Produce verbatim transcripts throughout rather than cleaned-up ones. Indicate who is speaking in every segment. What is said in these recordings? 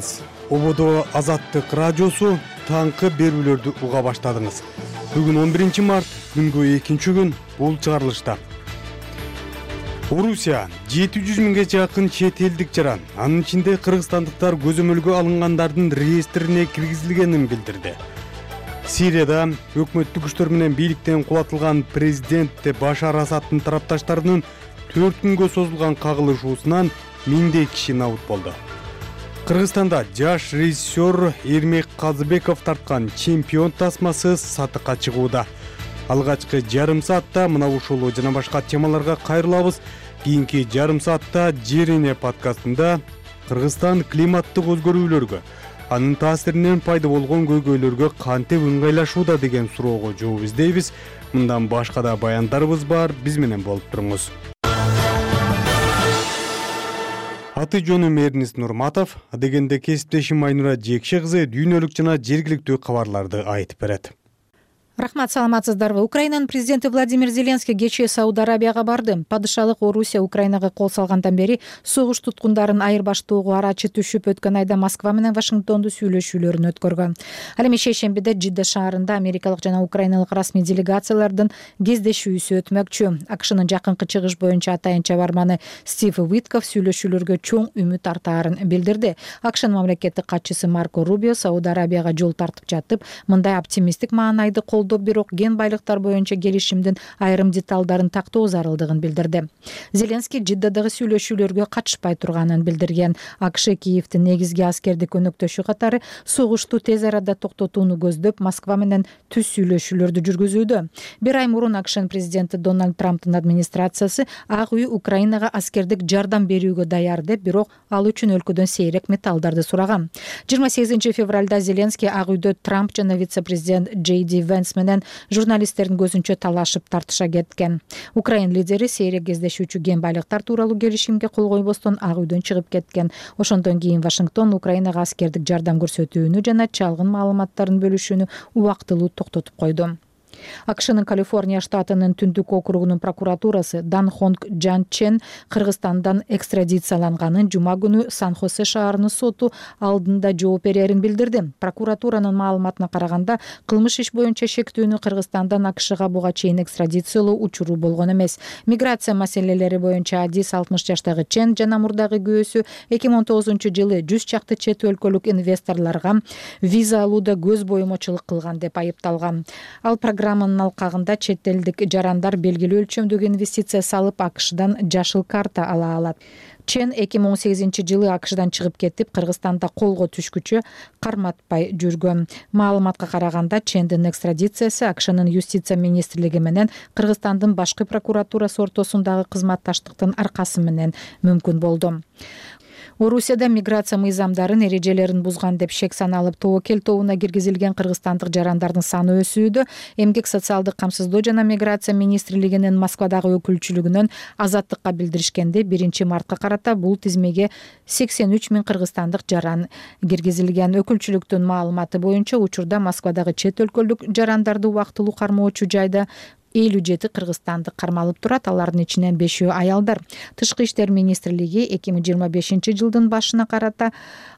Speaker 1: саламатсызбы? Ободо Азаттык радиосу таңкы берүүлөрдү уга баштадыңыз. Бүгүн он биринчи март, күнгө экинчи күн. Бул чыгарылышта Орусия жети жүз миңге жакын чет элдик жаран, анын ичинде кыргызстандыктар көзөмөлгө алынгандардын реестрине киргизилгенин билдирди. Сирияда өкмөттүк күчтөр менен бийликтен кулатылган президент Башар Асаддын тарапташтарынын төрт күнгө созулган кагылышуусунан миңдей киши набут болду. Кыргызстанда жаш режиссер Эрмек Казыбеков тарткан чемпион тасмасы сатыкка чыгууда. Алгачкы жарым саатта мына ушул жана башка темаларга кайрылабыз. Кийинки жарым саатта Жерине подкастында Кыргызстан климаттык өзгөрүүлөргө, анын таасиринен пайда болгон көйгөйлөргө кантип ыңгайлашууда деген суроого жооп издейбиз. Мындан башка да баяндарыбыз бар, биз менен болуп туруңуз. Аты жөнүм Эрнис Нурматов, адегенде кесиптешим Айнура Жекше кызы дүйнөлүк жана жергиликтүү кабарларды айтып берет.
Speaker 2: Рахмат, саламатсыздарбы? Украинанын президенти Владимир Зеленский кечээ Сауд Арабияга барды. Падышалык Орусия Украинага кол салгандан бери согуш туткундарын айырбаштоого арачы түшүп, өткөн айда Москва менен Вашингтонду сүйлөшүүлөрүн өткөргөн. Ал эми шейшембиде Жидда шаарында америкалык жана украиналык расмий делегациялардын кездешүүсү өтмөкчү. АКШнын жакынкы чыгыш боюнча атайын чабарманы Стив Уитков сүйлөшүүлөргө чоң үмүт артаарын билдирди. АКШнын мамлекеттик катчысы Марко Рубио Сауд Арабияга жол тартып жатып, мындай оптимисттик маанайды кол бирок ген байлыктар боюнча келишимдин айрым деталдарын тактоо зарылдыгын билдирди. Зеленский Жиддадагы сүйлөшүүлөргө катышпай турганын билдирген. АКШ Киевдин негизги аскердик өнөктөшү катары согушту тез арада токтотууну көздөп, Москва менен түз сүйлөшүүлөрдү жүргүзүүдө. Бир ай мурун АКШнын президенти Дональд Трамптын администрациясы Ак үй Украинага аскердик жардам берүүгө даяр деп, бирок ал үчүн өлкөдөн сейрек металлдарды сураган. жыйырма сегизинчи февралда Зеленский Ак үйдө Трамп жана вице-президент Джей Ди Венс менен журналисттердин көзүнчө талашып тартыша кеткен. Украин лидери сейрек кездешүүчү кен байлыктар тууралуу келишимге кол койбостон Ак үйдөн чыгып кеткен. Ошондон кийин Вашингтон Украинага аскердик жардам көрсөтүүнү жана чалгын маалыматтарын бөлүшүүнү убактылуу токтотуп койду. АКШнын Калифорния штатынын Түндүк округунун прокуратурасы Дан Хонг Джан Чен Кыргызстандан экстрадицияланганын жума күнү Сан-Хосе шаарынын соту алдында жооп берерин билдирди. Прокуратуранын маалыматына караганда, кылмыш иш боюнча шектүүнү Кыргызстандан АКШга буга чейин экстрадициялоо учуру болгон эмес. Миграция маселелери боюнча адис алтымыш жаштагы Чен жана мурдагы күйөөсү эки миң он тогузунчу жылы жүз чакты чет өлкөлүк инвесторлорго виза алууда көз боюмочулук кылган деп айыпталган. Ал программанын алкагында чет элдик жарандар белгилүү өлчөмдөгү инвестиция салып АКШдан жашыл карта ала алат. Чен эки миң он сегизинчи жылы АКШдан чыгып кетип, Кыргызстанда колго түшкүчө карматпай жүргөн. Маалыматка караганда, Чендин экстрадициясы АКШнын юстиция министрлиги менен Кыргызстандын башкы прокуратурасы ортосундагы кызматташтыктын аркасы менен мүмкүн болду. Орусияда миграция мыйзамдарын эрежелерин бузган деп шек саналып тобокел тобуна киргизилген кыргызстандык жарандардын саны өсүүдө. Эмгек социалдык камсыздоо жана миграция министрлигинин Москвадагы өкүлчүлүгүнөн Азаттыкка билдиришкенде, биринчи мартка карата бул тизмеге сексен үч миң кыргызстандык жаран киргизилген. Өкүлчүлүктүн маалыматы боюнча, учурда Москвадагы чет өлкөлүк жарандарды убактылуу кармоочу жайда элүү жети кыргызстандык кармалып турат, алардын ичинен бешөө аялдар. Тышкы иштер министрлиги эки миң жыйырма бешинчи жылдын башына карата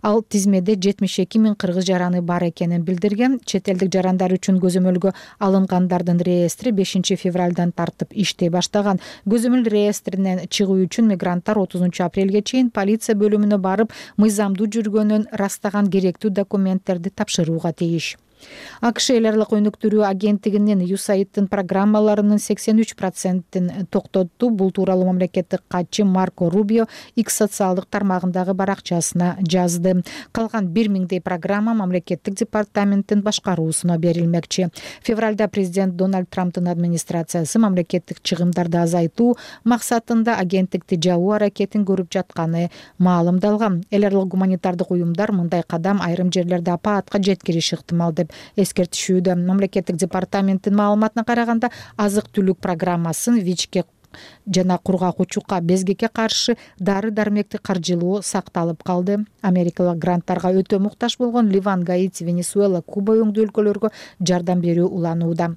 Speaker 2: ал тизмеде жетимиш эки миң кыргыз жараны бар экенин билдирген. Чет элдик жарандар үчүн көзөмөлгө алынгандардын реестри бешинчи февралдан тартып иштей баштаган. Көзөмөл реестринен чыгуу үчүн мигранттар отузунчу апрелге чейин полиция бөлүмүнө барып, мыйзамдуу жүргөнүн растаган керектүү документтерди тапшырууга тийиш. АКШ эл аралык өнүктүрүү агенттигинин ю эс эй ай дин программаларынын сексен үч процентин токтотту. Бул тууралуу мамлекеттик катчы Марко Рубио X социалдык тармагындагы баракчасына жазды. Калган бир миңдей программа мамлекеттик департаменттин башкаруусуна берилмекчи. Февралда президент Дональд Трамптын администрациясы мамлекеттик чыгымдарды азайтуу максатында агенттикти жабуу аракетин көрүп жатканы маалымдалган. Эл аралык гуманитардык уюмдар мындай кадам айрым жерлерде апаатка жеткириши ыктымал деп эскертишүүдө. Мамлекеттик департаменттин маалыматына караганда, азык-түлүк программасын ВИЧке жана кургак учукка, безгекке каршы дары-дармекти каржылоо сакталып калды. Америкалык гранттарга өтө муктаж болгон Ливан, Гаити, Венесуэла, Куба өңдүү өлкөлөргө жардам берүү уланууда.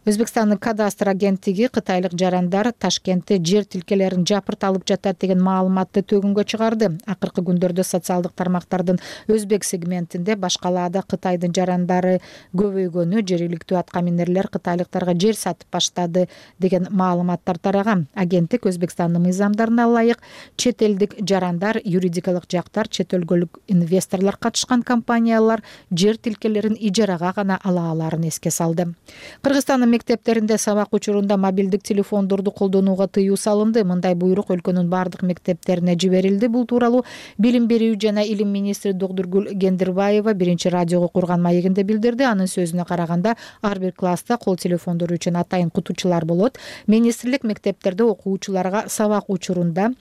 Speaker 2: Өзбекстандын кадастр агенттиги кытайлык жарандар Ташкентте жер тилкелерин жапырт алып жатат деген маалыматты төгүнгө чыгарды. Акыркы күндөрдө социалдык тармактардын өзбек сегментинде баш калаада Кытайдын жарандары көбөйгөнү, жергиликтүү аткаминерлер кытайлыктарга жер сатып баштады деген маалыматтар тараган. Агенттик Өзбекстандын мыйзамдарына ылайык чет элдик жарандар, юридикалык жактар, чет өлкөлүк инвесторлор катышкан компаниялар жер тилкелерин ижарага гана ала аларын эске салды. Кыргызстандын мектептеринде сабак учурунда мобилдик телефондорду колдонууга тыюу салынды. Мындай буйрук өлкөнүн бардык мектептерине жиберилди. Бул тууралуу Билим берүү жана илим министри Догдургүл Гендирбаева биринчи радиого курган маегинде билдирди. Анын сөзүнө караганда, ар бир класста кол телефондору үчүн атайын кутучулар болот. Министрлик мектептерде окуучуларга сабак учурунда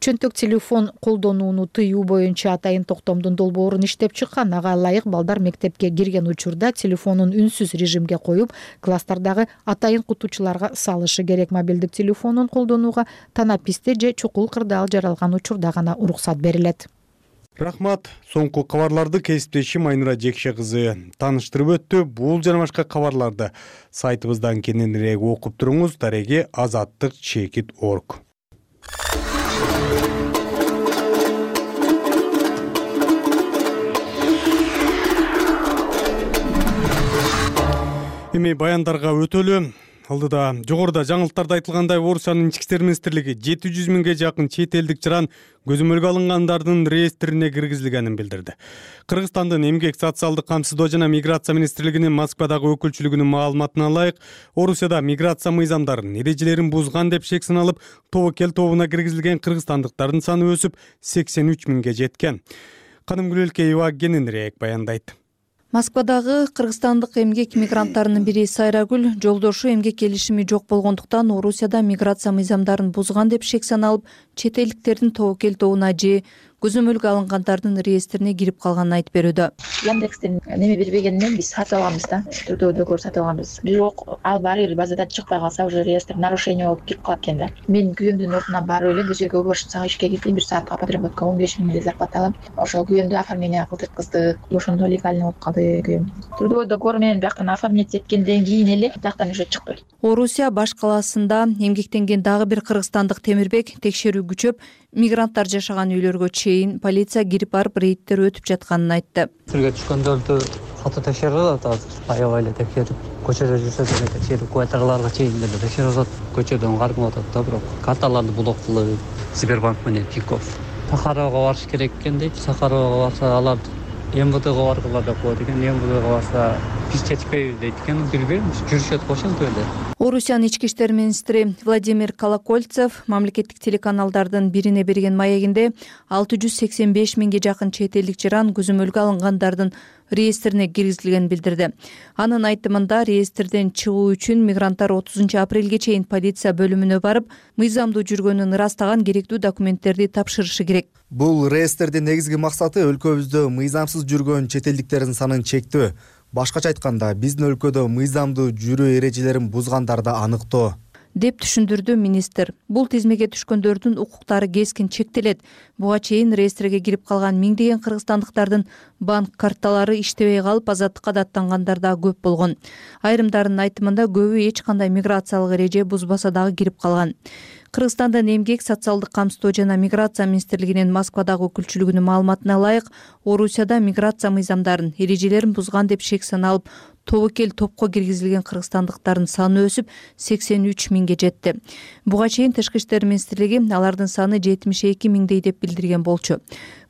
Speaker 2: чөнтөк телефон колдонууну тыюу боюнча атайын токтомдун долбоорун иштеп чыккан. Ага ылайык балдар мектепке кирген учурда телефонун үнсүз режимге коюп, класстарда атайын кутучуларга салышы керек. Мобилдик телефонун колдонууга танаписте же чукул кырдаал жаралган учурда гана уруксат берилет.
Speaker 1: Рахмат. Соңку кабарларды кесиптешим Айнура Жекше кызы тааныштырып өттү. Бул жана башка кабарларды сайтыбыздан кененирээк окуп туруңуз. Дареги азаттык чекит орг. Эми баяндарга өтөлү. Алдыда жогоруда жаңылыктарда айтылгандай, Орусиянын ички иштер министрлиги жети жүз миңге жакын чет элдик жаран көзөмөлгө алынгандардын реестрине киргизилгенин билдирди. Кыргызстандын эмгек, социалдык камсыздоо жана миграция министрлигинин Москвадагы өкүлчүлүгүнүн маалыматына ылайык, Орусияда миграция мыйзамдарын, эрежелерин бузган деп шек саналып, тобокел тобуна киргизилген кыргызстандыктардын саны өсүп сексен үч миңге жеткен. Канымгүл Элкеева кененирээк баяндайт.
Speaker 3: Москвадагы кыргызстандык эмгек мигранттарынын бири Сайрагүл жолдошу эмгек келишими жок болгондуктан Орусияда миграция мыйзамдарын бузган деп шек саналып, чет элдиктердин тобокел тобуна же көзөмөлгө алынгандардын реестрине кирип калганын айтып берүүдө.
Speaker 4: Яндекстен неме бербегенден биз сатып алганбыз да, түрдөө сатып алганбыз. Бирок ал баары бир базадан чыкпай калса, уже реестр нарушение болуп кирип калат экен да. Мен күйөөмдүн ордуна барып эле көчөгө убашсак ишке кирдим, бир саатка подработка он беш миңдей зарплата алам. Ошо күйөөмдү оформление кылдырткыздык, ошондо легально болуп калды күйөөм. Түрдөө договор менен бияктан оформлять эткенден кийин эле бияктан уже чыкты.
Speaker 3: Орусия баш калаасында эмгектенген дагы бир кыргызстандык Темирбек текшерүү күчөп, мигранттар жашаган үйлөргө чейин полиция кирип барып рейдтер өтүп жатканын айтты.
Speaker 5: Тилге түшкөндөрдү катуу текшерип атат азыр. Аябай эле текшерип, көчөдө жүрсө деле текшерип, квартираларга чейин деле текшерип атат. Көчөдөн кармап атат да, бирок карталарды блок кылып, Сбербанк менен Тинькофф. Сахаровго барыш керек экен дейт. Сахаровго барса алар эм вэ дэге баргыла деп коет экен. эм вэ дэге барса биз жетпейбиз дейт экен. Билбейм, жүрүшөт го ошентип эле.
Speaker 3: Орусиянын ички иштер министри Владимир Колокольцев мамлекеттик телеканалдардын бирине берген маегинде алты жүз сексен беш миңге жакын чет элдик жаран көзөмөлгө алынгандардын реестрине киргизилгенин билдирди. Анын айтымында реестрден чыгуу үчүн мигранттар отузунчу апрелге чейин полиция бөлүмүнө барып, мыйзамдуу жүргөнүн ырастаган керектүү документтерди тапшырышы керек.
Speaker 6: Бул реестрдин негизги максаты өлкөбүздө мыйзамсыз жүргөн чет элдиктердин санын чектөө. Башкача айтканда, биздин өлкөдө мыйзамдуу жүрүү эрежелерин бузгандарды аныктоо,
Speaker 3: деп түшүндүрдү министр. Бул тизмеге түшкөндөрдүн укуктары кескин чектелет. Буга чейин реестрге кирип калган миңдеген кыргызстандыктардын банк карталары иштебей калып, азаттыкка даттангандар да көп болгон. Айрымдарынын айтымында көбү эч кандай миграциялык эреже бузбаса дагы кирип калган. Кыргызстандын эмгек, социалдык камсыздоо жана миграция министрлигинин Москвадагы өкүлчүлүгүнүн маалыматына ылайык, Орусияда миграция мыйзамдарын, эрежелерин бузган деп шек саналып, тобокел топко киргизилген кыргызстандыктардын саны өсүп сексен үч миңге жетти. Буга чейин Тышкы иштер министрлиги алардын саны жетимиш эки миңдей деп билдирген болчу.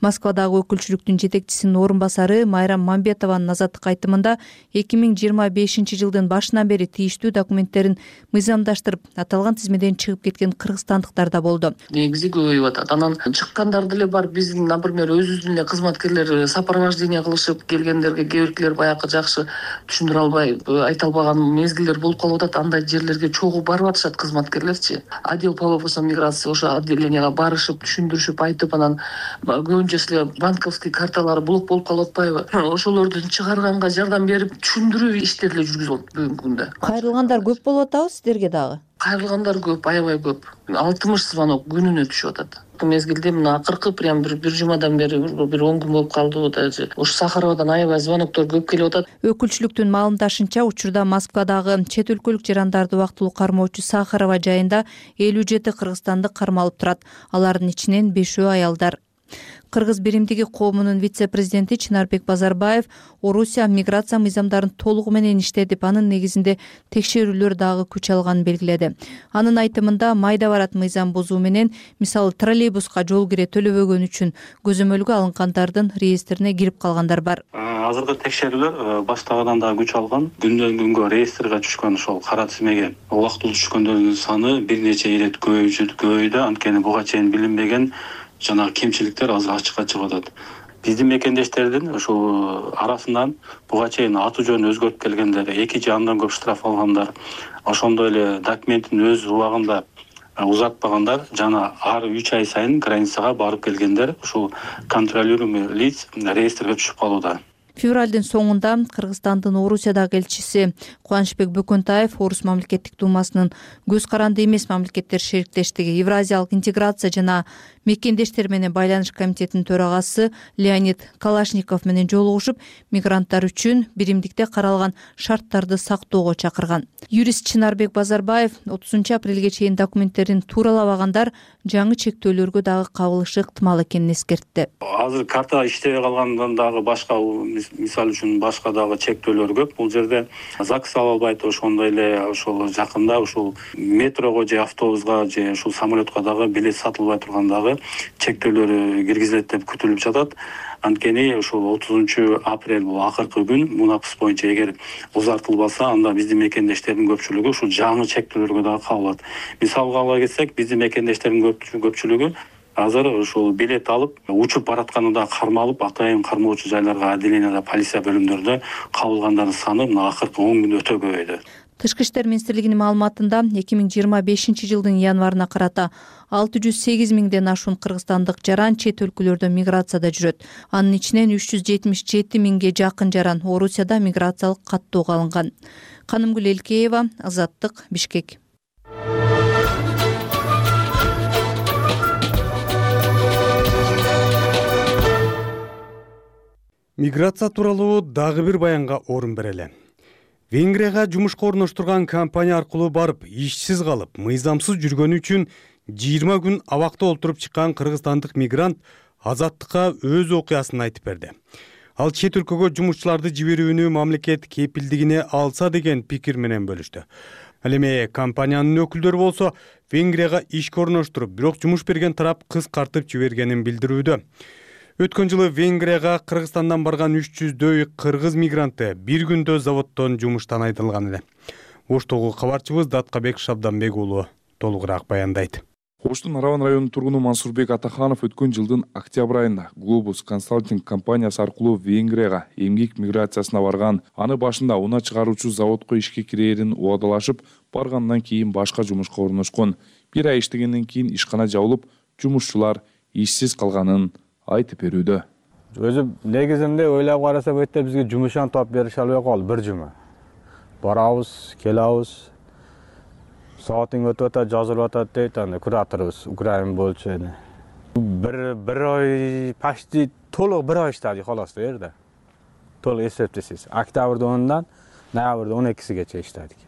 Speaker 3: Москвадагы өкүлчүлүктүн жетекчисинин орун басары Майрам Мамбетованын азаттык айтымында эки миң жыйырма бешинчи жылдын башынан бери тийиштүү документтерин мыйзамдаштырып, аталган тизмеден чыгып кеткен кыргызстандыктар да болду.
Speaker 7: Негизи көбөйүп атат. Анан чыккандар деле бар. Биздин, например, өзүбүздүн эле кызматкерлер сопровождение кылышып келгендерге кээ биркилер баягы жакшы түшүндүрө албай, айта албаган мезгилдер болуп калып атат. Андай жерлерге чогуу барып атышат кызматкерлерчи. Отдел по вопросам миграции ошо отделенияга барышып, түшүндүрүшүп, айтып, анан көбүнчөсү банковский карталары блок болуп калып атпайбы? Ошолордун чыгарганга жардам берип, түшүндүрүү иштери эле жүргүзүлөт бүгүнкү күндө.
Speaker 3: Кайрылгандар көп болуп атабы сиздерге дагы?
Speaker 7: кайрылгандар көп, аябай көп. алтымыш звонок күнүнө түшүп атат. Бул мезгилде мына акыркы прям бир бир жумадан бери бир он күн болуп калды. Даже ушу Сахаровадан аябай звоноктор көп келип атат.
Speaker 3: Өкүлчүлүктүн маалымдашынча, учурда Москвадагы чет өлкөлүк жарандарды убактылуу кармоочу Сахарова жайында элүү жети кыргызстандык кармалып турат. Алардын ичинен бешөө аялдар. Кыргыз биримдиги коомунун вице-президенти Чынарбек Базарбаев Орусия миграция мыйзамдарын толугу менен иштетип, анын негизинде текшерүүлөр дагы күч алганын белгиледи. Анын айтымында майда барат мыйзам бузуу менен, мисалы троллейбуска жол кире төлөбөгөн үчүн көзөмөлгө алынгандардын реестрине кирип калгандар бар.
Speaker 8: Азыркы текшерүүлөр баштагыдан да күч алган. Күндөн күнгө реестрге түшкөн ошол кара тизмеге убактылуу түшкөндөрдүн саны бир нече ирет көбөйдү. Анткени буга чейин билинбеген жана кемчиликтер азыр ачыкка чыгып атат. Биздин мекендештердин ошол арасынан буга чейин аты жөнүн өзгөртүп келгендер, эки же андан көп штраф алгандар, ошондой эле документин өз убагында узатпагандар жана ар үч ай сайын границага барып келгендер ушул контролируемый лиц реестрге түшүп калууда.
Speaker 3: Февралдын соңунда Кыргызстандын Орусиядагы элчиси Кубанычбек Бөкөнтаев Орус мамлекеттик думасынын көз каранды эмес мамлекеттер шериктештиги, Евразиялык интеграция жана мекендештер менен байланыш комитетинин төрагасы Леонид Калашников менен жолугушуп, мигранттар үчүн биримдикте каралган шарттарды сактоого чакырган. Юрист Чынарбек Базарбаев отузунчу апрелге чейин документтерин тууралабагандар жаңы чектөөлөргө дагы кабылышы ыктымал экенин эскертти.
Speaker 8: Азыр карта иштебей калгандан дагы башка, мисалы үчүн башка дагы чектөөлөр көп. Бул жерде ЗАГС ала албайт, ошондой эле ошол жакында ушул метрого же автобуска же ушул самолетко дагы билет сатылбай тургандагы чектөөлөр киргизилет деп күтүлүп жатат. Анткени ушул отузунчу апрель бул акыркы күн. Мунапыс боюнча эгер узартылбаса, анда биздин мекендештердин көпчүлүгү ушул жаңы чектөөлөргө дагы кабылат. Мисалга ала кетсек, биздин мекендештердин көпчүлүгү азыр ушул билет алып, учуп баратканында кармалып, атайын кармоочу жайларга отделенияда, полиция бөлүмдөрүндө кабылгандардын саны мына акыркы он күн өтө көбөйдү.
Speaker 3: Тышкы иштер министрлигинин маалыматында эки миң жыйырма бешинчи жылдын январына карата алты жүз сегиз миңден ашуун кыргызстандык жаран чет өлкөлөрдө миграцияда жүрөт. Анын ичинен үч жүз жетимиш жети миңге жакын жаран Орусияда миграциялык каттоого алынган. Канымгүл Элкеева, Азаттык, Бишкек.
Speaker 1: Миграция тууралуу дагы бир баянга орун берели. Венгрияга жумушка орноштурган компания аркылуу барып, ишсиз калып, мыйзамсыз жүргөнү үчүн жыйырма күн абакта олтуруп чыккан кыргызстандык мигрант Азаттыкка өз окуясын айтып берди. Ал чет өлкөгө жумушчуларды жиберүүнү мамлекет кепилдигине алса деген пикир менен бөлүштү. Ал эми компаниянын өкүлдөрү болсо Венгрияга ишке орноштуруп, бирок жумуш берген тарап кыскартып жибергенин билдирүүдө. Өткөн жылы Венгрияга Кыргызстандан барган үч жүздөй кыргыз мигранты бир күндө заводдон жумуштан айдылган эле. Оштогу кабарчыбыз Даткабек Шабданбек уулу толугураак баяндайт.
Speaker 9: Оштун Араван районунун тургуну Мансурбек Атаханов өткөн жылдын октябрь айында Globus Consulting компаниясы аркылуу Венгрияга эмгек миграциясына барган. Аны башында унаа чыгаруучу заводко ишке кирээрин убадалашып, баргандан кийин башка жумушка орношкон. Бир ай иштегенден кийин ишкана жабылып, жумушчулар ишсиз калганын айтып берүүдө.
Speaker 10: Өзү негизинде ойлоп карасак өтө бизге жумушан топ берише албай калды бир жума. Барабыз, келабыз. Саатың өтүп атат, жазылып атат дейт, анда кураторубуз, Украин болчу. Бир бир ай почти толук бир ай иштедик халас жерде. Толук эсептесиз. Октябрдын онундан ноябрдын он экисигече иштедик.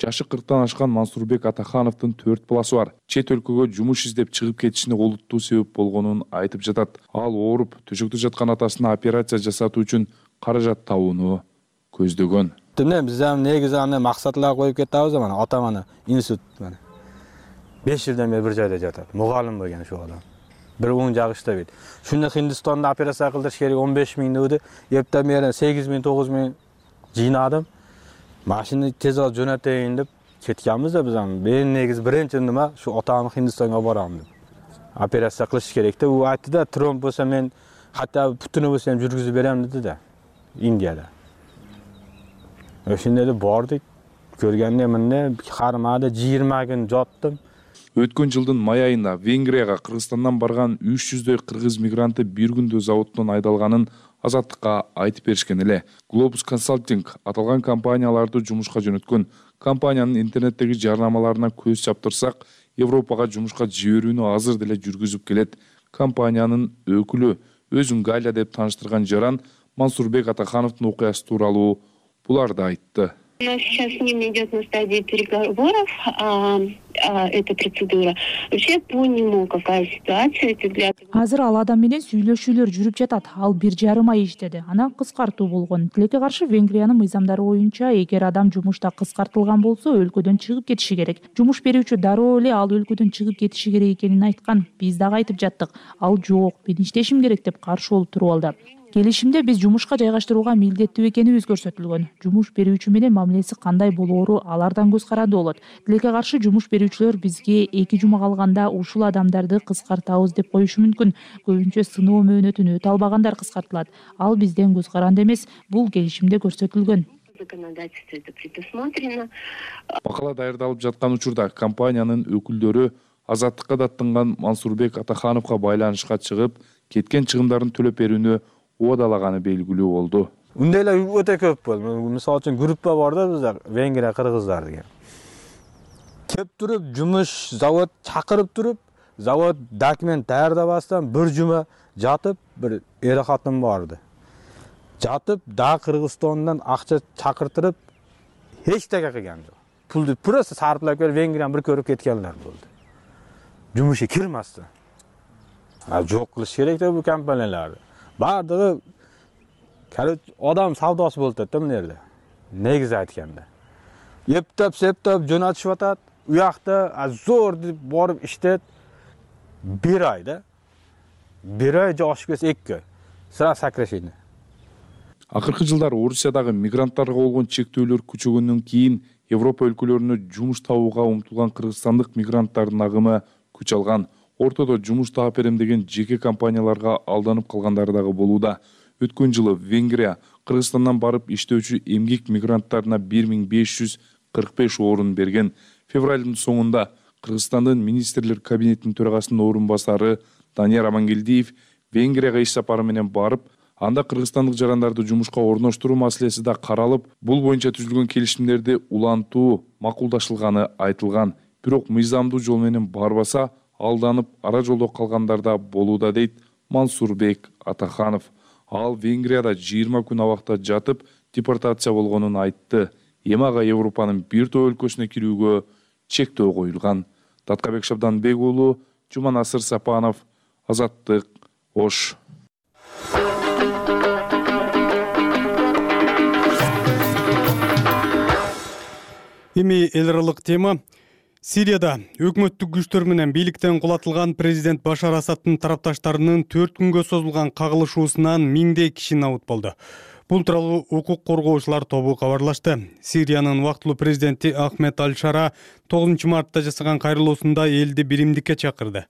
Speaker 9: Жашы кырктан ашкан Мансурбек Атахановдун төрт баласы бар. Чет өлкөгө жумуш издеп чыгып кетишине олуттуу себеп болгонун айтып жатат. Ал ооруп, төшөктө жаткан атасына операция жасатуу үчүн каражат табууну көздөгөн.
Speaker 10: Мен биз ham негизи аны максатлар коюп кетебиз, мана атам аны институт мана беш жылдан бери бир жайда жатат. Мугалим болгон ошол адам. Бир он жак иштебейт. Шуну Хиндистанда операция кылдырыш керек он беш миң деді. Эптен бери сегиз миң тогуз миң жыйнадым. Машина тез алып жөнөтөйүн деп кеткенбиз да биз аны. Мен негизи биринчи нема шу атамды Хиндистанга барам деп. Операция кылыш керек деп. У айтты да, тромб болсо мен хатта бүтүнө болсо ham жүргүзүп берем деди да. Индияда. Ошондо да бардык. Көргөндө эмне кармада жыйырма күн жаттым.
Speaker 9: Өткөн жылдын май айында Венгрияга Кыргызстандан барган үч жүздөй кыргыз мигранты бир күндө заводдон айдалганын Азаттыкка айтып беришкен эле. Globus Consulting аталган компанияларды жумушка жөнөткөн. Компаниянын интернеттеги жарнамаларына көз чаптырсак, Европага жумушка жиберүүнү азыр деле жүргүзүп келет. Компаниянын өкүлү өзүн Галя деп тааныштырган жаран Мансурбек Атахановдун окуясы тууралуу буларды айтты.
Speaker 11: У нас сейчас с ним идет на стадии переговоров а, а, эта процедура. Вообще по нему какая ситуация? Эти взгляды...
Speaker 12: Азыр ал адам менен сүйлөшүүлөр жүрүп жатат. Ал бир жарым ай иштеди. Анан кыскартуу болгон. Тилекке каршы Венгриянын мыйзамдары боюнча эгер адам жумушта кыскартылган болсо, өлкөдөн чыгып кетиши керек. Жумуш берүүчү дароо эле ал өлкөдөн чыгып кетиши керек экенин айткан. Биз дагы айтып жаттык. Ал жок, мен иштешим керек деп каршы болуп туруп алды. Келишимде биз жумушка жайгаштырууга милдеттүү экенибиз көрсөтүлгөн. Жумуш берүүчү менен мамилеси кандай болоору алардан көз каранды болот. Тилекке каршы жумуш берүүчүлөр бизге эки жума калганда ушул адамдарды кыскартабыз деп коюшу мүмкүн. Көбүнчө сыноо мөөнөтүн өтө албагандар кыскартылат. Ал бизден көз каранды эмес, бул келишимде көрсөтүлгөн.
Speaker 9: Макала даярдалып жаткан учурда компаниянын өкүлдөрү Азаттыкка даттанган Мансурбек Атахановго байланышка чыгып, кеткен чыгымдарын төлөп берүүнү уадалаганы белгилүү болду.
Speaker 10: Ундайлар өтө көп болду. Мисалы үчүн группа бар да бизде, Венгрия кыргыздар деген. Кеп туруп, жумуш, завод чакырып туруп, завод документ даярдабастан бир жума жатып, бир эре катын барды. Жатып, да Кыргызстандан акча чакыртырып, эч теге кылган жок. Пулду просто сарплап келип Венгрияны бир көрүп кеткенлер болду. Жумушка кирмастан. А жок кылыш керек да бул компанияларды. Бардыгы адам савдосы болуп атат да мына жерде. Негизи айтканда. Ептеп, септеп жөнөтүшүп атат. У жакта зор деп барып иштет. бир ай да. бир ай же ашып кетсе эки ай. Сразу сокращение.
Speaker 9: Акыркы жылдары Орусиядагы мигранттарга болгон чектөөлөр күчөгөндөн кийин Европа өлкөлөрүнө жумуш табууга умтулган кыргызстандык мигранттардын агымы күч алган. Ортодо жумуш таап берем деген жеке компанияларга алданып калгандары дагы болууда. Өткөн жылы Венгрия Кыргызстандан барып иштөөчү эмгек мигранттарына бир миң беш жүз кырк беш орун берген. Февралдын соңунда Кыргызстандын министрлер кабинетинин төрагасынын орун басары Данияр Амангелдиев Венгрияга иш сапары менен барып, анда кыргызстандык жарандарды жумушка орноштуруу маселеси да каралып, бул боюнча түзүлгөн келишимдерди улантуу макулдашылганы айтылган. Бирок мыйзамдуу жол менен барбаса, алданып ара жолдо калгандар да болууда дейт Мансурбек Атаханов. Ал Венгрияда жыйырма күн абакта жатып, депортация болгонун айтты. Эми ага Европанын бир топ өлкөсүнө кирүүгө чектөө коюлган. Таткабек Шабданбек уулу, Жуманасыр Сапанов, Азаттык, Ош.
Speaker 1: Эми эл аралык тема. Сирияда өкмөттүк күчтөр менен бийликтен кулатылган президент Башар Асадтын тарапташтарынын төрт күнгө созулган кагылышуусунан миңдей киши набыт болду. Бул тууралуу укук коргоочулар тобу кабарлашты. Сириянын убактылуу президенти Ахмед Аль-Шара тогузунчу мартта жасаган кайрылуусунда элди биримдикке чакырды.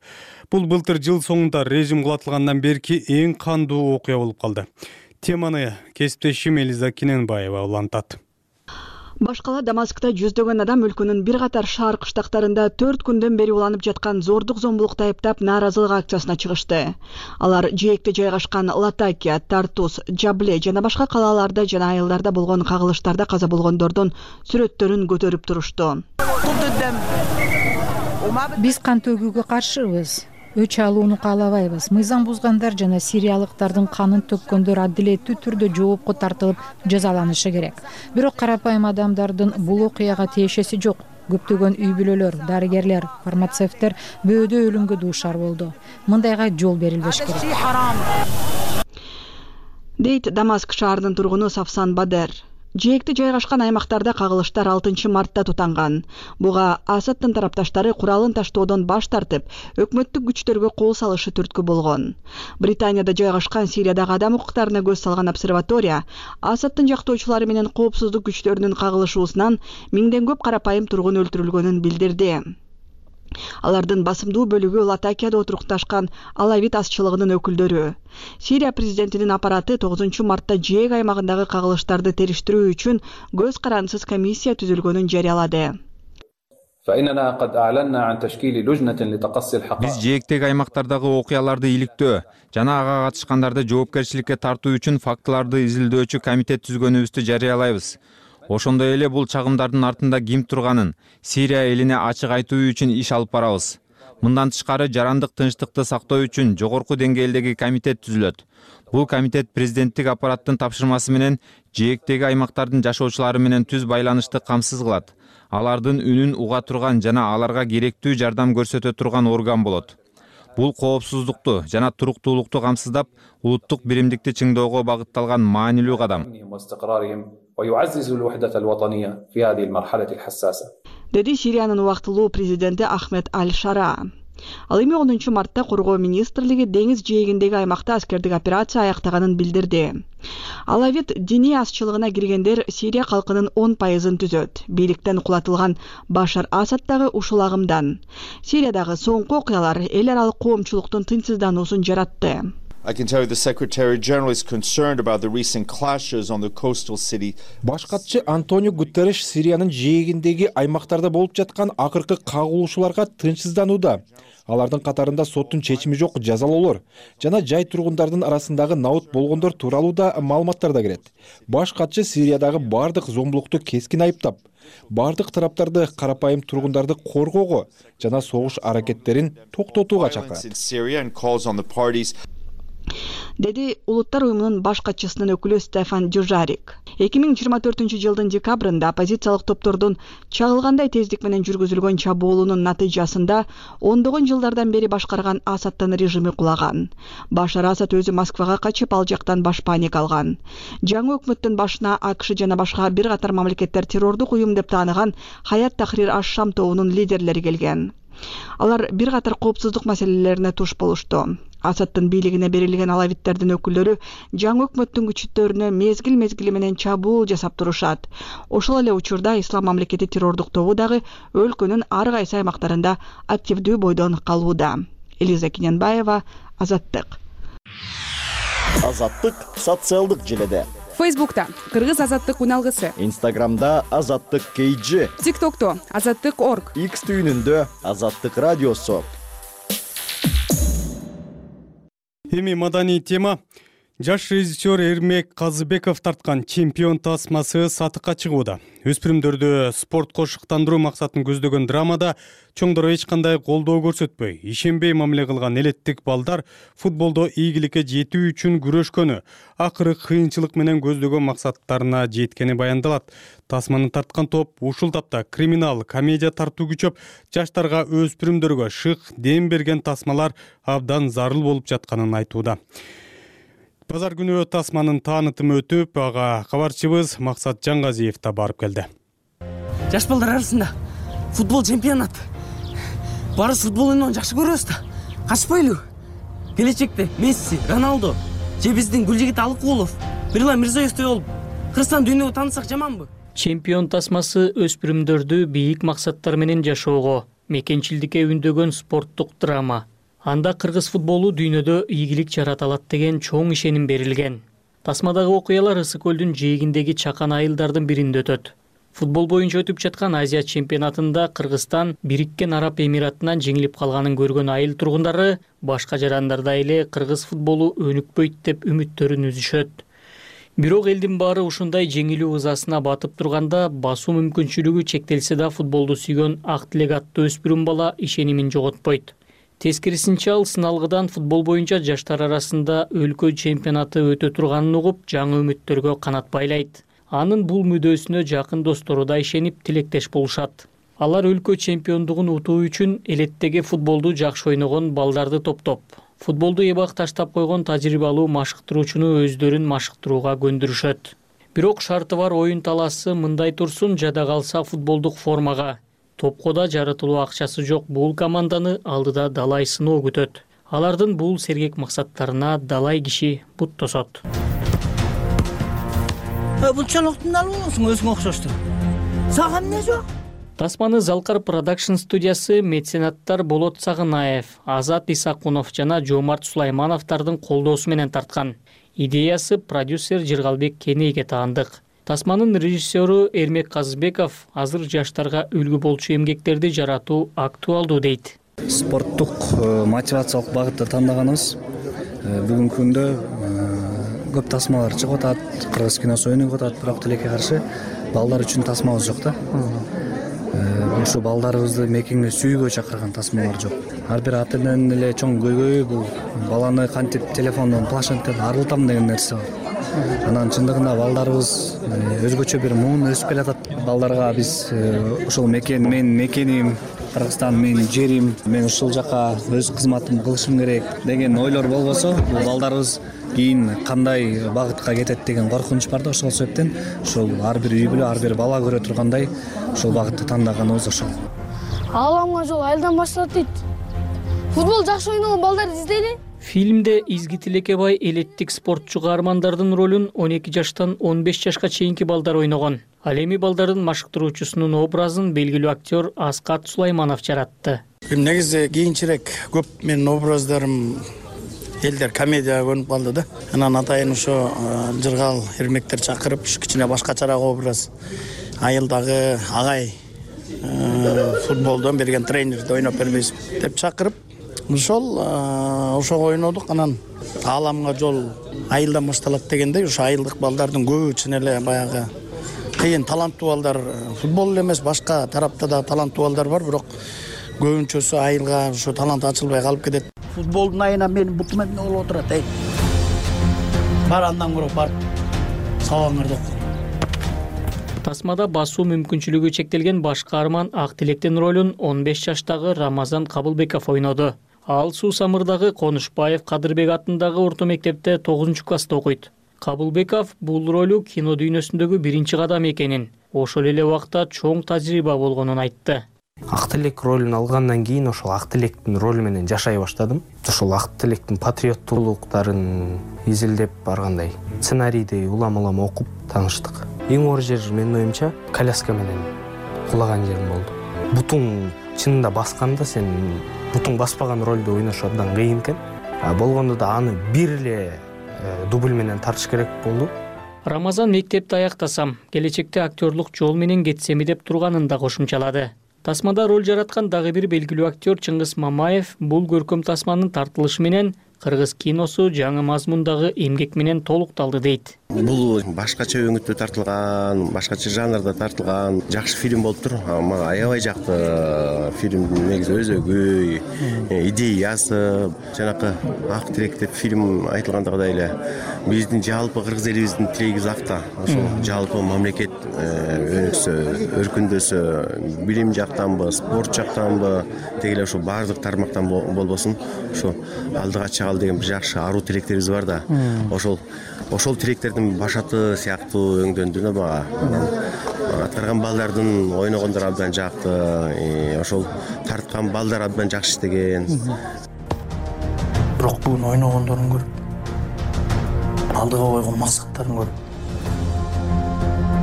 Speaker 1: Бул былтыр жыл соңунда режим кулатылгандан берки эң кандуу окуя болуп калды. Теманы кесиптешим Элиза Киненбаева улантат.
Speaker 13: Башкала Дамаскта жүздөгөн адам өлкөнүн бир катар шаар кыштактарында төрт күндөн бери уланып жаткан зордук зомбулукту айыптап нааразылык акциясына чыгышты. Алар жээкте жайгашкан Латакия, Тартус, Джабле жана башка калааларда жана айылдарда болгон кагылыштарда каза болгондордун сүрөттөрүн көтөрүп турушту.
Speaker 2: Биз кан төгүүгө каршыбыз. Өч алууну каалабайбыз. Мыйзам бузгандар жана сириялыктардын канын төккөндөр адилеттүү түрдө жоопко тартылып жазаланышы керек. Бирок карапайым адамдардын бул окуяга тиешеси жок. Көптөгөн үй бүлөлөр, дарыгерлер, фармацевттер бөөдө өлүмгө дуушар болду. Мындайга жол берилбеш керек.
Speaker 13: Дейт Дамаск шаарынын тургуну Сафсан Бадер. Жээкте жайгашкан аймактарда кагылыштар алтынчы мартта тутанган. Буга Асадтын тарапташтары куралын таштоодон баш тартып, өкмөттүк күчтөргө кол салышы түрткү болгон. Британияда жайгашкан Сириядагы адам укуктарына көз салган обсерватория Асадтын жактоочулары менен коопсуздук күчтөрүнүн кагылышуусунан миңден көп карапайым тургун өлтүрүлгөнүн билдирди. Алардын басымдуу бөлүгү Латакияда отурукташкан алавит азчылыгынын өкүлдөрү. Сирия президентинин аппараты тогузунчу мартта жээг аймагындагы кагылыштарды териштирүү үчүн көз карандысыз комиссия түзүлгөнүн жарыялады.
Speaker 14: Биз жээктеги аймактардагы окуяларды иликтөө жана ага катышкандарды жоопкерчиликке тартуу үчүн фактыларды изилдөөчү комитет түзгөнүбүздү жарыялайбыз. Ошондой эле бул чагымдардын артында ким турганын Сирия элине ачык айтуу үчүн иш алып барабыз. Мындан тышкары жарандык тынчтыкты сактоо үчүн жогорку деңгээлдеги комитет түзүлөт. Бул комитет президенттик аппараттын тапшырмасы менен жээктеги аймактардын жашоочулары менен түз байланышты камсыз кылат. Алардын үнүн уга турган жана аларга керектүү жардам көрсөтө турган орган болот. Бул коопсуздукту жана туруктуулукту камсыздап, улуттук биримдикти чыңдоого багытталган маанилүү кадам.
Speaker 13: Деди Сириянын убактылуу президенти Ахмед Аль-Шара. Ал эми онунчу мартта Коргоо министрлиги деңиз жээгиндеги аймакта аскердик операция аяктаганын билдирди. Алавит диний азчылыгына киргендер Сирия калкынын он пайызын түзөт. Бийликтен кулатылган Башар Асад дагы ушул агымдан. Сириядагы соңку окуялар эл аралык коомчулуктун тынчсыздануусун жаратты.
Speaker 15: I can tell you the Secretary General is concerned about the recent clashes on the coastal city.
Speaker 16: Баш катчы Антонио Гутерреш Сириянын жээгиндеги аймактарда болуп жаткан акыркы кагылышууларга тынчсызданууда. Алардын катарында соттун чечими жок жазалоолор жана жай тургундардын арасындагы наут болгондор тууралуу да маалыматтар да кирет. Баш катчы Сириядагы бардык зомбулукту кескин айыптап, бардык тараптарды карапайым тургундарды коргоого жана согуш аракеттерин токтотууга чакырат.
Speaker 13: Деди Улуттар уюмунун баш катчысынын өкүлү Стефан Дюжарик. эки миң жыйырма төртүнчү жылдын декабрында оппозициялык топтордун чагылгандай тездик менен жүргүзүлгөн чабуулунун натыйжасында ондогон жылдардан бери башкарган Асадтын режими кулаган. Башар Асад өзү Москвага качып, ал жактан баш паника алган. Жаңы өкмөттүн башына АКШ жана башка бир катар мамлекеттер террордук уюм деп тааныган Хаят Тахрир аш-Шам тобунун лидерлери келген. Алар бир катар коопсуздук маселелерине туш болушту. Асадтын бийлигине берилген алавиттердин өкүлдөрү жаңы өкмөттүн күчтөрүнө мезгил мезгили менен чабуул жасап турушат. Ошол эле учурда Ислам мамлекети террордук тобу дагы өлкөнүн ар кайсы аймактарында активдүү бойдон калууда. Элиза Кененбаева, Азаттык.
Speaker 17: Азаттык социалдык желеде.
Speaker 18: Фейсбукта Кыргыз азаттык уналгысы.
Speaker 17: Инстаграмда Азаттык кей джи.
Speaker 18: ТикТокто Азаттык точка орг.
Speaker 17: Икс түйүнүндө Азаттык радиосу.
Speaker 1: Эми маданий тема. Жаш режиссер Эрмек Казыбеков тарткан чемпион тасмасы сатыкка чыгууда. Өспүрүмдөрдү спортко шыктандыруу максатын көздөгөн драмада чоңдор эч кандай колдоо көрсөтпөй, ишенбей мамиле кылган элеттик балдар футболдо ийгиликке жетүү үчүн күрөшкөнү, акыры кыйынчылык менен көздөгөн максаттарына жеткени баяндалат. Тасманы тарткан топ ушул тапта криминал, комедия тартуу күчөп, жаштарга, өспүрүмдөргө шык, дем берген тасмалар абдан зарыл болуп жатканын айтууда. Базар күнү тасманын таанытымы өтүп, ага кабарчыбыз Максат Жаңгазиев да барып келди.
Speaker 19: Жаш балдар арасында футбол чемпионат. Барыс футбол ойноону жакшы көрөбүз да. Качпайлы. Келечекте Месси, Роналдо, же биздин Гүлжигит Алыкулов, Мирлан Мирзоевдей болуп, Кыргызстан дүйнөгө таанытсак жаманбы?
Speaker 20: Чемпион тасмасы өспүрүмдөрдү бийик максаттар менен жашоого, мекенчилдикке үндөгөн спорттук драма. Анда кыргыз футболу дүйнөдө ийгилик жарата алат деген чоң ишеним берилген. Тасмадагы окуялар Ысык көлдүн жээгиндеги чакан айылдардын биринде өтөт. Футбол боюнча өтүп жаткан Азия чемпионатында Кыргызстан Бириккен Араб Эмиратынан жеңилип калганын көргөн айыл тургундары башка жарандардай эле кыргыз футболу өнүкпөйт деп үмүттөрүн үзүшөт. Бирок элдин баары ушундай жеңилүү ызасына батып турганда басуу мүмкүнчүлүгү чектелсе да футболду сүйгөн ак тилек аттуу өспүрүм бала ишенимин жоготпойт. Тескерисинче ал сыналгыдан футбол боюнча жаштар арасында өлкө чемпионаты өтө турганын угуп, жаңы үмүттөргө канат байлайт. Анын бул мүдөөсүнө жакын достору да ишенип, тилектеш болушат. Алар өлкө чемпиондугун утуу үчүн элеттеги футболду жакшы ойногон балдарды топтоп, футболду эбак таштап койгон тажрыйбалуу машыктыруучуну өздөрүн машыктырууга көндүрүшөт. Бирок шарты бар оюн талаасы мындай турсун, жада калса футболдук формага. Топко да жаратылуу акчасы жок бул команданы алдыда далай сыноо күтөт. Алардын бул сергек максаттарына далай киши бут тосот.
Speaker 19: Бул чалоктун албаңсың өзүңө окшошту. Сага эмне жок?
Speaker 20: Тасманы Залкар продакшн студиясы меценаттар Болот Сагынаев, Азат Исакунов жана Жомарт Сулаймановдордун колдоосу менен тарткан. Идеясы продюсер Жыргалбек Кенейге таандык. Тасманын режиссеру Эрмек Казыбеков азыр жаштарга үлгү болчу эмгектерди жаратуу актуалдуу дейт.
Speaker 21: Спорттук мотивациялык багытты тандаганыбыз. Бүгүнкү күндө көп тасмалар чыгып атат, кыргыз киносу өнүгүп атат, бирок тилекке каршы балдар үчүн тасмабыз жок да. Ушу балдарыбызды мекеңге сүйүүгө чакырган тасмалар жок. Ар бир ата эненин эле чоң көйгөйү бул баланы кантип телефондон, планшеттен арылтам деген нерсе бар. Анан чындыгында балдарыбыз өзгөчө бир муун өсүп келатат. Балдарга биз ошол мекен, мен мекеним, Кыргызстан менин жерим, мен ушул жака өз кызматымды кылышым керек деген ойлор болбосо, бул балдарыбыз кийин кандай багытка кетет деген коркунуч бар да. Ошол себептен ошол ар бир үй бүлө, ар бир бала көрө тургандай ошол багытты тандаганыбыз ошол.
Speaker 22: Ааламга жол айылдан башталат дейт. Футбол жакшы ойногон бaldарды издейли.
Speaker 20: Фильмде Изги Тилекебай элеттик спортчу каармандардын ролун он эки жаштан он беш жашка чейинки балдар ойногон. Ал эми балдардын машыктыруучусунун образын белгилүү актер Аскат Сулайманов жаратты.
Speaker 23: Негизи кийинчерээк көп менин образдарым элдер комедияга көнүп калды да. Анан атайын ошо жыргал эрмектер чакырып, кичине башкачараак образ. Айылдагы агай футболдон берген тренерди ойноп бербейсиз деп чакырып, ошол ошого ойнодук. Анан ааламга жол айылдан башталат дегендей, ошо айылдык балдардын көбү чын эле баягы кыйын таланттуу балдар, футбол эле эмес, башка тарапта да таланттуу балдар бар, бирок көбүнчөсү айылга ошо талант ачылбай калып кетет. Футболдун айына менин бутум эмне болуп отурат, эй. Бар андан көрө бар. Сабаңарды оку.
Speaker 20: Тасмада басуу мүмкүнчүлүгү чектелген баш каарман Ак Тилектин ролун он беш жаштагы Рамазан Кабылбеков ойноду. Ал Суу Самырдагы Конушбаев Кадырбек атындагы орто мектепте тогузунчу класста окуйт. Кабылбеков бул ролу кино дүйнөсүндөгү биринчи кадам экенин, ошол эле убакта чоң тажрыйба болгонун айтты.
Speaker 24: Ак Тилек ролун алгандан кийин ошол Ак Тилектин ролу менен жашай баштадым. Ошол Ак Тилектин патриоттуулуктарын изилдеп баргандай сценарийди улам-улам окуп тааныштык. Эң оор жер менин оюмча коляска менен кулаган жерим болду. Бутуң чынында басканда сен бутуң баспаган ролду ойнош абдан кыйын экен. Болгондо да аны бир эле дубль менен тартыш керек болду.
Speaker 20: Рамазан мектепти аяктасам, келечекте актерлук жол менен кетсеми деп турганын да кошумчалады. Тасмада роль жараткан дагы бир белгилүү актер Чыңгыз Мамаев бул көркөм тасманын тартылышы менен кыргыз киносу жаңы мазмундагы эмгек менен толукталды дейт.
Speaker 25: Бул башкача өңүттө тартылган, башкача жанрда тартылган жакшы фильм болуптур. Мага аябай жакты. Фильмдин негизи өзөгү, идеясы, жанакы Ак Тилек деп фильм айтылгандагыдай эле биздин жалпы кыргыз элибиздин тилеги узакта. Ошол жалпы мамлекет өнүксө, өркүндөсө, билим жактанбы, спорт жактанбы, деги эле ушул баардык тармактан болбосун, ошо алдыга чыгалы деген бир жакшы аруу тилектерибиз бар да. Ошол ошол тилектердин башаты сыяктуу өңдөндү да мага. Аткарган балдардын ойногондору абдан жакты, ошол тарткан балдар абдан жакшы иштеген.
Speaker 23: Бирок бүгүн ойногондорун көрүп, алдыга койгон максаттарын көрүп,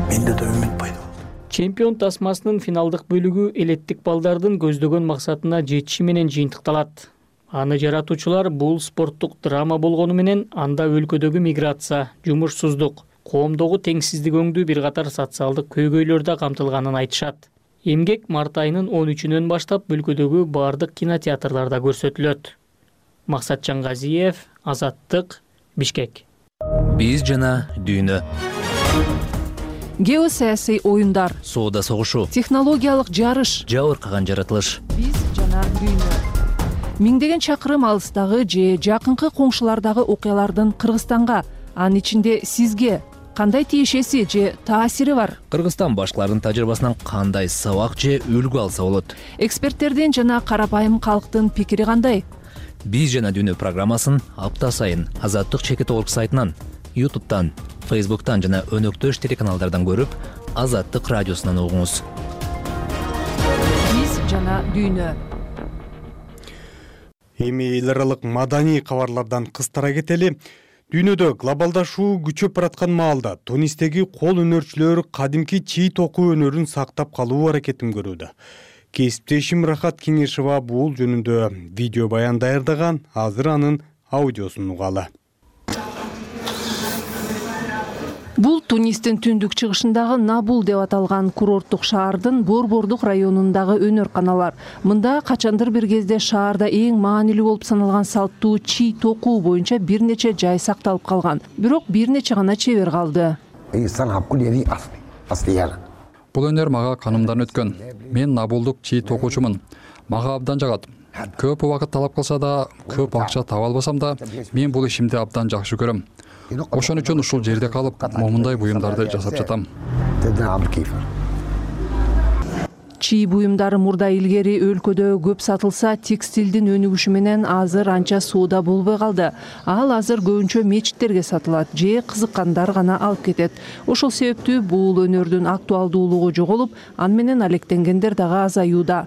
Speaker 23: менде да үмүт пайда болду.
Speaker 20: Чемпион тасмасынын финалдык бөлүгү элеттик балдардын көздөгөн максатына жетиши менен жыйынтыкталат. Аны жаратуучулар бул спорттук драма болгону менен анда өлкөдөгү миграция, жумушсуздук, коомдогу теңсиздик өңдүү бир катар социалдык көйгөйлөр да камтылганын айтышат. Эмгек март айынын он үчүнөн баштап өлкөдөгү бардык кинотеатрларда көрсөтүлөт. Максат Жаңгазиев, Азаттык, Бишкек.
Speaker 26: Биз жана дүйнө.
Speaker 27: Геосаясий оюндар,
Speaker 26: соода согушу,
Speaker 27: технологиялык жарыш,
Speaker 26: жабыркаган жаратылыш.
Speaker 27: Биз жана дүйнө. Миңдеген чакырым алыстагы же жакынкы коңшулардагы окуялардын Кыргызстанга, анын ичинде сизге кандай тиешеси же таасири бар?
Speaker 26: Кыргызстан башкаларынын тажрыйбасынан кандай сабак же үлгү алса болот?
Speaker 27: Эксперттердин жана карапайым калктын пикири кандай?
Speaker 26: Биз жана дүйнө программасын апта сайын Азаттык чекит орг сайтынан, ютубтан, фейсбуктан жана өнөктөш телеканалдардан көрүп, Азаттык радиосунан угуңуз.
Speaker 27: Биз жана дүйнө.
Speaker 1: Эми эл аралык маданий кабарлардан кыстара кетели. Дүйнөдө глобалдашуу күчөп бараткан маалда Тунистеги кол өнөрчүлөр кадимки чий токуу өнөрүн сактап калуу аракетин көрүүдө. Кесиптешим Рахат Кеңешова бул жөнүндө видео баян даярдаган, азыр анын аудиосун угалы.
Speaker 27: Бул Тунистин түндүк чыгышындагы Набул деп аталган курорттук шаардын Борбордук районундагы өнөр-каналар. Мында качандыр бир кезде шаарда эң маанилүү болуп саналган салттуу чий токуу боюнча бир нече жай сакталып калган. Бирок бир нече гана чебер калды.
Speaker 3: Бул өнөр мага канымдан өткөн. Мен Набулдук чий токуучумун. Мага абдан жагат. Көп убакыт талап кылса да, көп акча таба албасам да, мен бул ишимди абдан жакшы көрөм. Ошон үчүн ушул жерде калып, момундай буюмдарды жасап жатам.
Speaker 27: Чий буюмдары мурда илгери өлкөдө көп сатылса, текстилдин өнүгүшү менен азыр анча сууда болбой калды. Ал азыр көбүнчө мечиттерге сатылат, же кызыккандар гана алып кетет. Ошол себептүү бул өнөрдүн актуалдуулугу жоголуп, аны менен алектенгендер дагы азаюуда.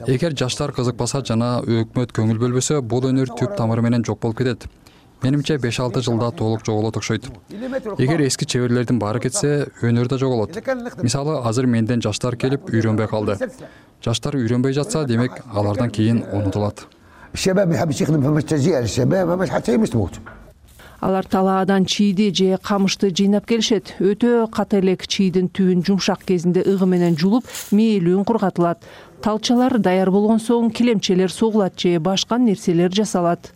Speaker 3: Эгер жаштар кызыкпаса жана өкмөт көңүл бөлбөсө, бул өнөр түп тамыры менен жок болуп кетет. Менимче беш алты жылда толук жоголот окшойт. Эгер эски чеберлердин баары кетсе, өнөр да жоголот. Мисалы, азыр менден жаштар келип үйрөнбөй калды. Жаштар үйрөнбөй жатса, демек алардан кийин унутулат.
Speaker 27: Алар талаадан чийди же камышты жыйнап келишет. Өтө ката элек чийдин түбүн жумшак кезинде ыгы менен жулуп, мээлүүн кургатылат. Талчалар даяр болгон соң килемчелер согулат же башка нерселер жасалат.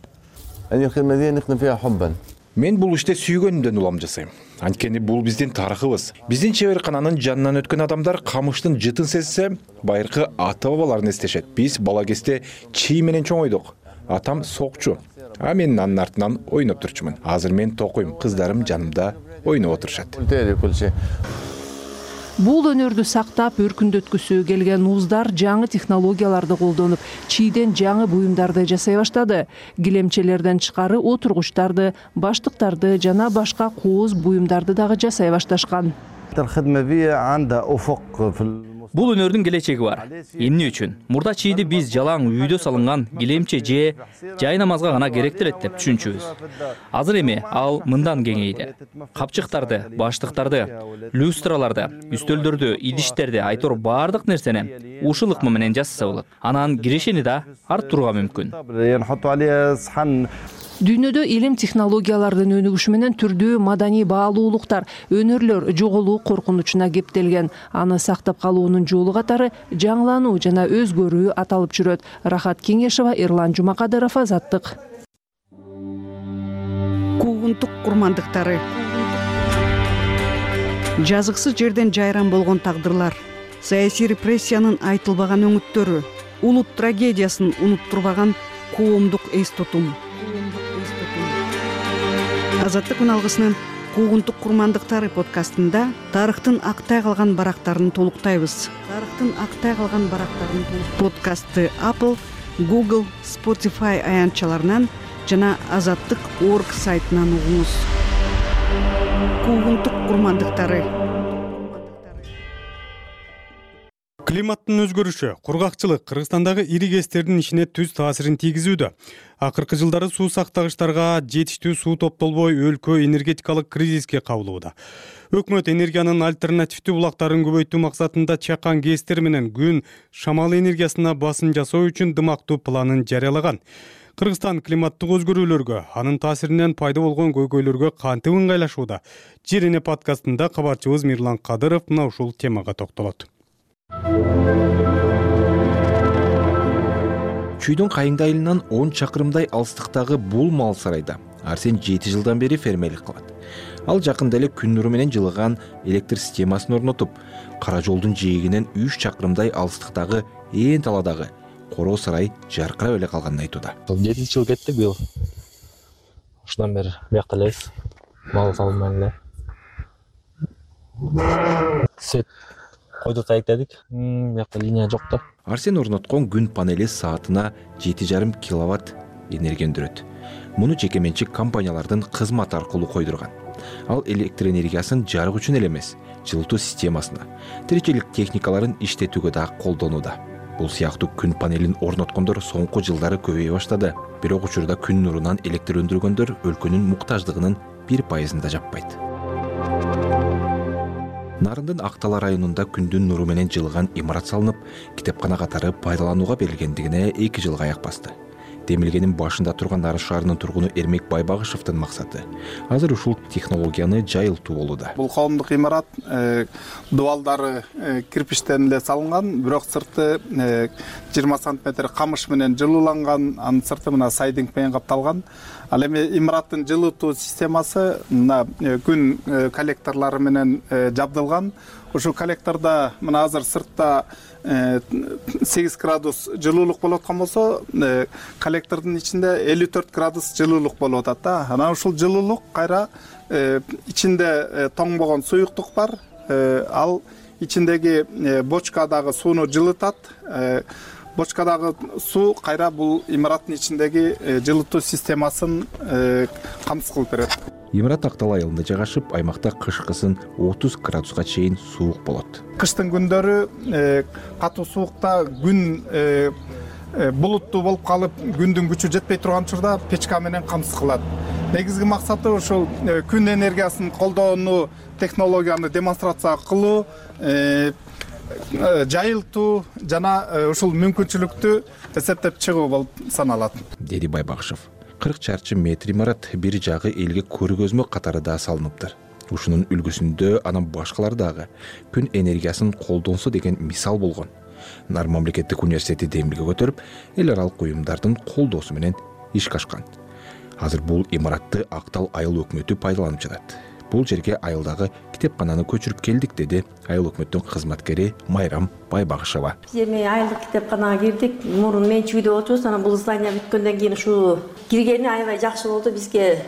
Speaker 16: Мен бул иште сүйгөнүмдөн улам жасайм. Анткени бул биздин тарыхыбыз. Биздин чеберкананын жанынан өткөн адамдар камыштын жытын сезсе, байыркы ата бабаларын эстешет. Биз бала кезде чий менен чоңойдук. Атам сокчу, а мен анын артынан ойноп турчумун. Азыр мен токуйм, кыздарым жанымда ойноп отурушат.
Speaker 27: Бул өнөрдү сактап, өркүндөткүсү келген уздар жаңы технологияларды колдонуп, чийден жаңы буюмдарды жасай баштады. Килемчелерден тышкары отургучтарды, баштыктарды жана башка кооз буюмдарды дагы жасай башташкан.
Speaker 4: Бул өнөрдүн келечеги бар. Эмне үчүн? Мурда чийди биз жалаң үйдө салынган килемче же жай намазга гана керектелет деп түшүнчүбүз. Азыр эми ал мындан кеңейди. Капчыктарды, баштыктарды, люстраларды, үстөлдөрдү, идиштерди, айтор баардык нерсени ушул ыкма менен жасаса болот. Анан кирешени да арттырууга мүмкүн.
Speaker 27: Дүйнөдө илим технологиялардын өнүгүшү менен түрдүү маданий баалуулуктар, өнөрлөр жоголуу коркунучуна кептелген. Аны сактап калуунун жолу катары жаңылануу жана өзгөрүү аталып жүрөт. Рахат Кеңешова, Эрлан Жумакадыров, Азаттык.
Speaker 13: Куугунтук курмандыктары. Жазыксыз жерден жайран болгон тагдырлар. Саясий репрессиянын айтылбаган өңүттөрү. Улут трагедиясын унуттурбаган коомдук эс тутум. Азаттык үналгысынын Куугунтук курмандыктары подкастында тарыхтын актай калган барактарын толуктайбыз. Тарыхтын актай калган барактарын подкастты Apple, Google, Spotify аянтчаларынан жана азаттык точка орг сайтынан угуңуз. Куугунтук курмандыктары.
Speaker 1: Климаттын өзгөрүшү, кургакчылык Кыргызстандагы ири кестердин ишине түз таасирин тийгизүүдө. Акыркы жылдары суу сактагычтарга жетиштүү суу топтолбой өлкө энергетикалык кризиске кабылууда. Өкмөт энергиянын альтернативдүү булактарын көбөйтүү максатында чакан кестер менен күн, шамал энергиясына басым жасоо үчүн дымактуу планын жарыялаган. Кыргызстан климаттык өзгөрүүлөргө, анын таасиринен пайда болгон көйгөйлөргө кантип ыңгайлашууда? Жерине подкастында кабарчыбыз Мирлан Кадыров мына ушул темага токтолот.
Speaker 16: Чүйдүн Кайыңды айылынан он чакырымдай алыстыктагы бул мал сарайда Арсен жети жылдан бери фермерлик кылат. Ал жакында эле күн нуру менен жылыган электр системасын орнотуп, кара жолдун жээгинен үч чакырымдай алыстыктагы ээн таладагы короо сарай жаркырап эле калганын айтууда.
Speaker 24: жетинчи жыл кетти быйыл. Ушундан бери биякта элебиз. Мал салынбай эле. Свет койду таектедик. Биякта линия жок да.
Speaker 16: Арсен орноткон күн панели саатына жети жарым киловатт энергия өндүрөт. Муну жекеменчик компаниялардын кызматы аркылуу койдурган. Ал электр энергиясын жарык үчүн эле эмес, жылытуу системасына, тиричилик техникаларын иштетүүгө да колдонууда. Бул сыяктуу күн панелин орноткондор соңку жылдары көбөйө баштады. Бирок учурда күн нурунан электр өндүргөндөр өлкөнүн муктаждыгынын бир пайызын да жаппайт. Нарындын Актала районунда күндүн нуру менен жылыган имарат салынып, китепкана катары пайдаланууга берилгендигине эки жылга аяк басты.
Speaker 5: демилгенин башында турган Арыс шаарынын тургуну Эрмек Байбагышевдин максаты азыр ушул технологияны жайылтуу болууда.
Speaker 6: Бул коомдук имарат дубалдары кирпичтен эле салынган, бирок сырты жыйырма сантиметр камыш менен жылууланган, анын сырты мына сайдинг менен капталган. Ал эми имараттын жылытуу системасы мына күн коллекторлору менен жабдылган. Ушул коллектордо мына азыр сыртта сегиз градус жылуулук болуп аткан болсо, коллектордун ичинде элүү төрт градус жылуулук болуп атат да. Анан ушул жылуулук кайра ичинде тоңбогон суюктук бар. Ал ичиндеги бочкадагы сууну жылытат. Бочкадагы суу кайра бул имараттын ичиндеги жылытуу системасын камсыз кылып берет.
Speaker 5: Имарат Актал айылында жайгашып, аймакта кышкысын отуз градуска чейин суук болот.
Speaker 6: Кыштын күндөрү катуу суукта күн булуттуу болуп калып, күндүн күчү жетпей турган учурда печка менен камсыз кылат. Негизги максаты ушул күн энергиясын колдоону, технологияны демонстрация кылуу, жайылтуу жана ушул мүмкүнчүлүктү эсептеп чыгуу болуп саналат,
Speaker 5: деди Байбагышев. кырк чарчы метр имарат бир жагы элге көргөзмө катары да салыныптыр. Ушунун үлгүсүндө анан башкалар дагы күн энергиясын колдонсо деген мисал болгон. Нар мамлекеттик университети демилге көтөрүп, эл аралык уюмдардын колдоосу менен ишке ашкан. Азыр бул имаратты Актал айыл өкмөтү пайдаланып жатат. Бул жерге айылдагы китепкананы көчүрүп келдик, деди айыл өкмөттүн кызматкери Майрам Байбагышева.
Speaker 7: Биз эми айылдык китепканага кирдик. Мурун менчүгүдө отурубуз, анан бул здание бүткөндөн кийин ушу киргени аябай жакшы болду. Бизге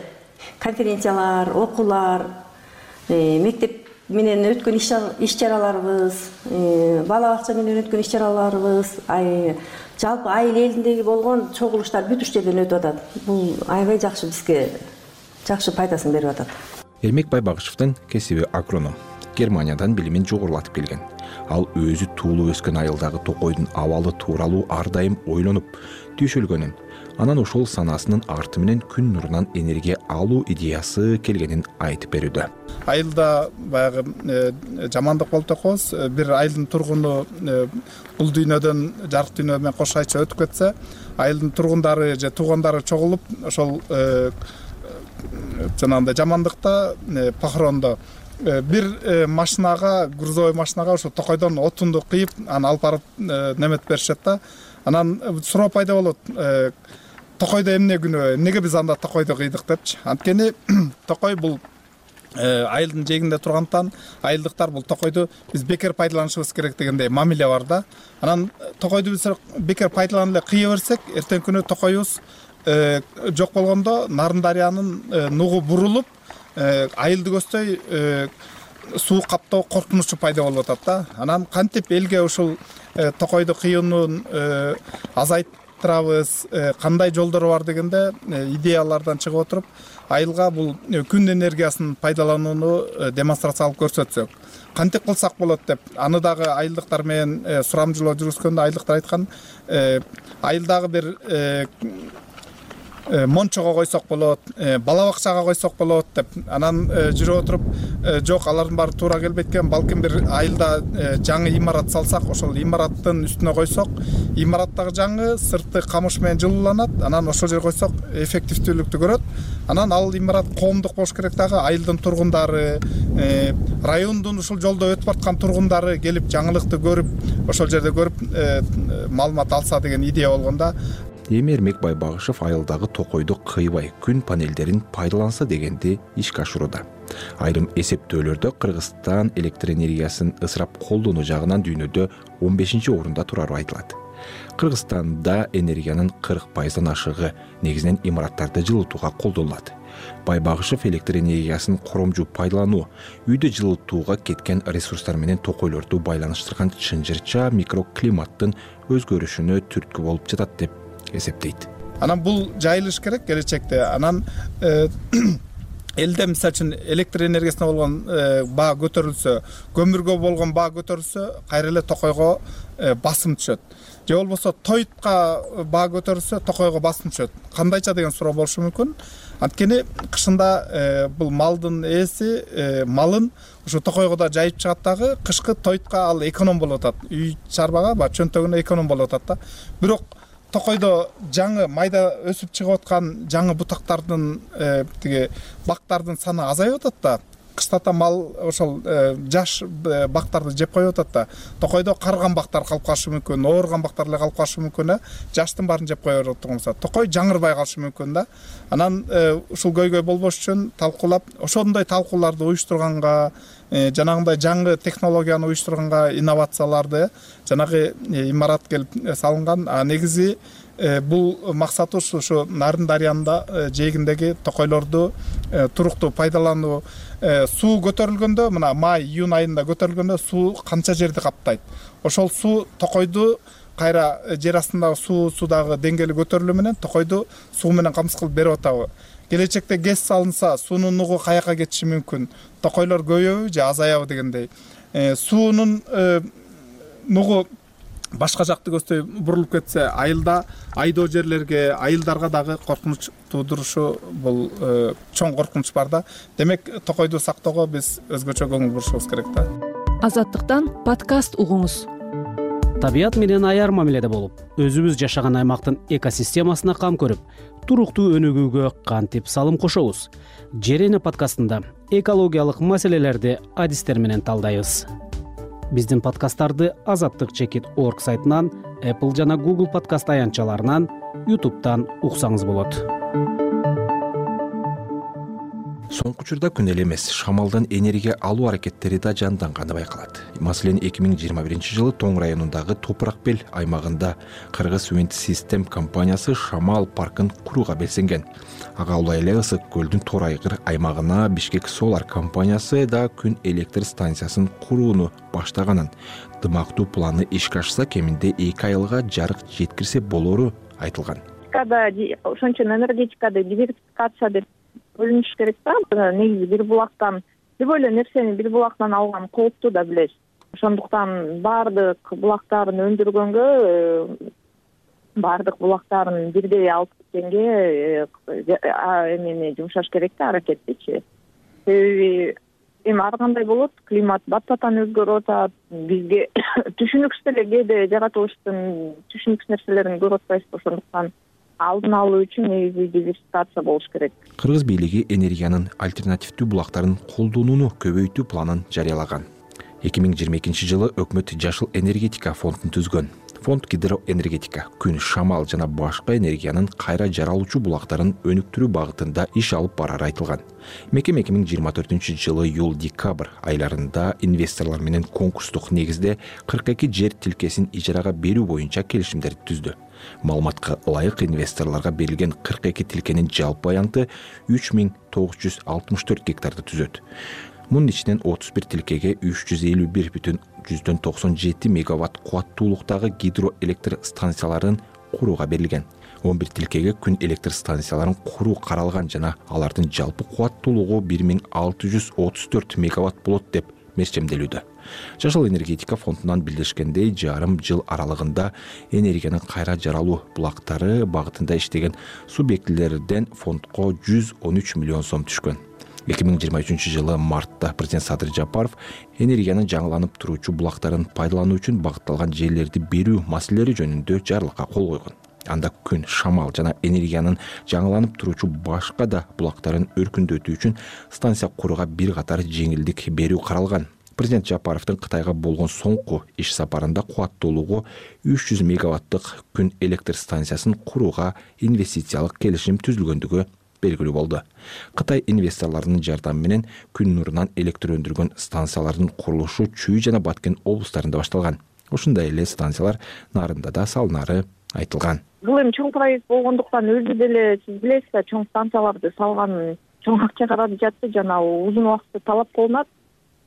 Speaker 7: конференциялар, окуулар, мектеп менен өткөн иш-чараларыбыз, бала бакча менен өткөн иш-чараларыбыз, жалпы айыл элиндеги болгон чогулуштар бүт уш жерден өтүп атат. Бул аябай жакшы, бизге жакшы пайдасын берип атат.
Speaker 5: Эрмек Байбагышевдин кесиби агроном. Германиядан билимин жогорулатып келген. Ал өзү туулуп өскөн айылдагы токойдун абалы тууралуу ар дайым ойлонуп, түйшөлгөнүн, анан ошол санасынын арты менен күн нурунан энергия алуу идеясы келгенин айтып берүүдө.
Speaker 6: Айылда баягы жамандык болуп атабыз. Бир айылдын тургуну бул дүйнөдөн жарык дүйнө менен кош айча өтүп кетсе, айылдын тургундары же туугандары чогулуп, ошол жанагындай жамандыкта, похорондо бир машинага, грузовой машинага ошо токойдон отунду кыйып, аны алып барып неметип беришет да. Анан суроо пайда болот. Токойдо эмне күнөө, эмнеге биз анда токойду кыйдык депчи. Анткени токой бул айылдын жээгинде тургандыктан айылдыктар бул токойду биз бекер пайдаланышыбыз керек дегендей мамиле бар да. Анан токойду биз бекер пайдаланып эле кыя берсек, эртең күнү токойубуз жок болгондо Нарын дарыянын нугу бурулуп, айылды көздөй суу каптоо коркунучу пайда болуп атат да. Анан кантип элге ушул токойду кыюунун азайттырабыз, кандай жолдору бар дегенде идеялардан чыгып отуруп, айылга бул күн энергиясын пайдаланууну демонстрациялап көрсөтсөк, кантип кылсак болот деп, аны дагы айылдыктар менен сурамжылоо жүргүзгөндө айылдыктар айткан, айылдагы бир мончого койсок болот, бала бакчага койсок болот деп, анан жүрүп отуруп, жок, алардын баары туура келбейт экен, балким бир айылда жаңы имарат салсак, ошол имараттын үстүнө койсок, имараттагы жаңы сырты камыш менен жылууланат, анан ошол жерге койсок эффективдүүлүктү көрөт. Анан ал имарат коомдук болуш керек дагы, айылдын тургундары, райондун ушул жолдо өтүп бараткан тургундары келип жаңылыкты көрүп, ошол жерде көрүп маалымат алса деген идея болгон да.
Speaker 5: Эми Эрмек Байбагышев айылдагы токойду кыйбай күн панелдерин пайдаланса дегенди ишке ашырууда. Айрым эсептөөлөрдө Кыргызстан электр энергиясын ысырап колдонуу жагынан дүйнөдө он бешинчи орунда турары айтылат. Кыргызстанда энергиянын кырк пайыздан ашыгы негизинен имараттарды жылытууга колдонулат. Байбагышев электр энергиясын коромжу пайдалануу, үйдө жылытууга кеткен ресурстар менен токойлорду байланыштырган чынжырча микроклиматтын өзгөрүшүнө түрткү болуп жатат деп эсептейт.
Speaker 6: Анан бул жайылыш керек келечекте. Анан элде мисалы үчүн электр энергиясына болгон баа көтөрүлсө, көмүргө болгон баа көтөрүлсө, кайра эле токойго басым түшөт. Же болбосо тойтка баа көтөрүлсө, токойго басым түшөт. Кандайча деген суроо болушу мүмкүн. Анткени кышында бул малдын ээси малын ушу токойго да жайып чыгат дагы, кышкы тойтка ал эконом болуп атат. Үй чарбага, ба чөнтөгүнө эконом болуп атат да. Бирок токойдо жаңы майда өсүп чыгып аткан жаңы бутактардын тиги бактардын саны азайып атат да. Кыштата мал ошол жаш бактарды жеп коюп атат да. Токойдо карыган бактар калып калышы мүмкүн, ооруган бактар эле калып калышы мүмкүн. Жаштын баарын жеп коюп атат. Токой жаңырбай калышы мүмкүн да. Анан ушул көйгөй болбош үчүн талкуулап, ошондой талкууларды уюштурганга, жанагындай жаңы технологияны уюштурганга, инновацияларды жанагы имарат келип салынган. А негизи бул максатыбыз ушу Нарын дарыянында жээгиндеги токойлорду туруктуу пайдалануу. Суу көтөрүлгөндө, мына май, июнь айында көтөрүлгөндө суу канча жерди каптайт. Ошол суу токойду кайра жер астындагы суу суудагы деңгээли көтөрүлүү менен токойду суу менен камсыз кылып берип атабы. Келечекте ГЭС салынса, суунун нугу каяка кетиши мүмкүн? Токойлор көбөйөбү же азаябы дегендей. Суунун нугу башка жакты көздөй бурулуп кетсе, айылда айдоо жерлерге, айылдарга дагы коркунуч туудурушу бул чоң коркунуч бар да. Демек, токойду сактоого биз өзгөчө көңүл бурушубуз керек да.
Speaker 27: Азаттыктан подкаст угуңуз.
Speaker 2: Табият менен аяр мамиледе болуп, өзүбүз жашаган аймактын экосистемасына кам көрүп, туруктуу өнүгүүгө кантип салым кошобуз? Жерене подкастында экологиялык маселелерди адистер менен талдайбыз. Биздин подкасттарды азаттык чекит точка орг сайтынан, Apple жана Google подкаст аянтчаларынан, YouTube'дан уксаңыз болот.
Speaker 5: Соңку учурда күн эле эмес, шамалдан энергия алуу аракеттери да жанданганы байкалат. Маселен, эки миң жыйырма биринчи жылы Тоң районундагы Топурак Бел аймагында Кыргыз Wind System компаниясы шамал паркын курууга белсенген. Ага улай эле Ысык көлдүн Тор айгыр аймагына Бишкек Solar компаниясы да күн электр станциясын курууну баштаганын, дымактуу планы ишке ашса, кеминде эки айылга жарык жеткирсе болору айтылган.
Speaker 8: Ошон үчүн энергетикада диверсификация деп бөлүнүш керек да. Негизи бир булактан көп эле нерсени бир булактан алган кооптуу да билесиз. Ошондуктан баардык булактарын өндүргөнгө, баардык булактарын бирдей алып кеткенге эмени жумшаш керек да, аракеттичи. Себеби эми ар кандай болот, климат баттатан өзгөрүп атат. Бизге түшүнүксүз эле кээде жаратылыштын түшүнүксүз нерселерин көрүп атпайбыз. Ошондуктан алдын алуу үчүн негизи диверсификация болуш керек.
Speaker 5: Кыргыз бийлиги энергиянын альтернативдүү булактарын колдонууну көбөйтүү планын жарыялаган. эки миң жыйырма экинчи жылы өкмөт Жашыл энергетика фондун түзгөн. Фонд гидроэнергетика, күн, шамал жана башка энергиянын кайра жаралуучу булактарын өнүктүрүү багытында иш алып барары айтылган. Мекеме эки миң жыйырма төртүнчү жылы июль-декабрь айларында инвесторлор менен конкурстук негизде кырк эки жер тилкесин ижарага берүү боюнча келишимдерди түздү. Маалыматка ылайык, инвесторлорго берилген кырк эки тилкенин жалпы аянты үч миң тогуз жүз алтымыш төрт гектарды түзөт. Мунун ичинен отуз бир тилкеге үч жүз элүү бир бүтүн жүздөн токсон жети мегаватт кубаттуулуктагы гидроэлектр станцияларын курууга берилген. он бир тилкеге күн электр станцияларын куруу каралган жана алардын жалпы кубаттуулугу бир миң алты жүз отуз төрт мегаватт болот деп мерчемделүүдө. Жашыл энергетика фондунан билдиришкендей, жарым жыл аралыгында энергиянын кайра жаралуу булактары багытында иштеген субъектилерден фондко жүз он үч миллион сом түшкөн. эки миң жыйырма үчүнчү жылы мартта президент Садыр Жапаров энергиянын жаңыланып туруучу булактарын пайдалануу үчүн багытталган жерлерди берүү маселелери жөнүндө жарлыкка кол койгон. Анда күн, шамал жана энергиянын жаңыланып туруучу башка да булактарын өркүндөтүү үчүн станция курууга бир катар жеңилдик берүү каралган. Президент Жапаровдун Кытайга болгон соңку иш сапарында кубаттуулугу үч жүз мегаваттык күн электр станциясын курууга инвестициялык келишим түзүлгөндүгү белгилүү болду. Кытай инвесторлорунун жардамы менен күн нурунан электр өндүргөн станциялардын курулушу Чүй жана Баткен облустарында башталган. Ошондой эле станциялар Нарында да салынары айтылган.
Speaker 8: Бул эми чоң проект болгондуктан өзү деле сиз билесиз да, чоң станцияларды салган чоң акча каражаты жана узун убакытты талап кылынат.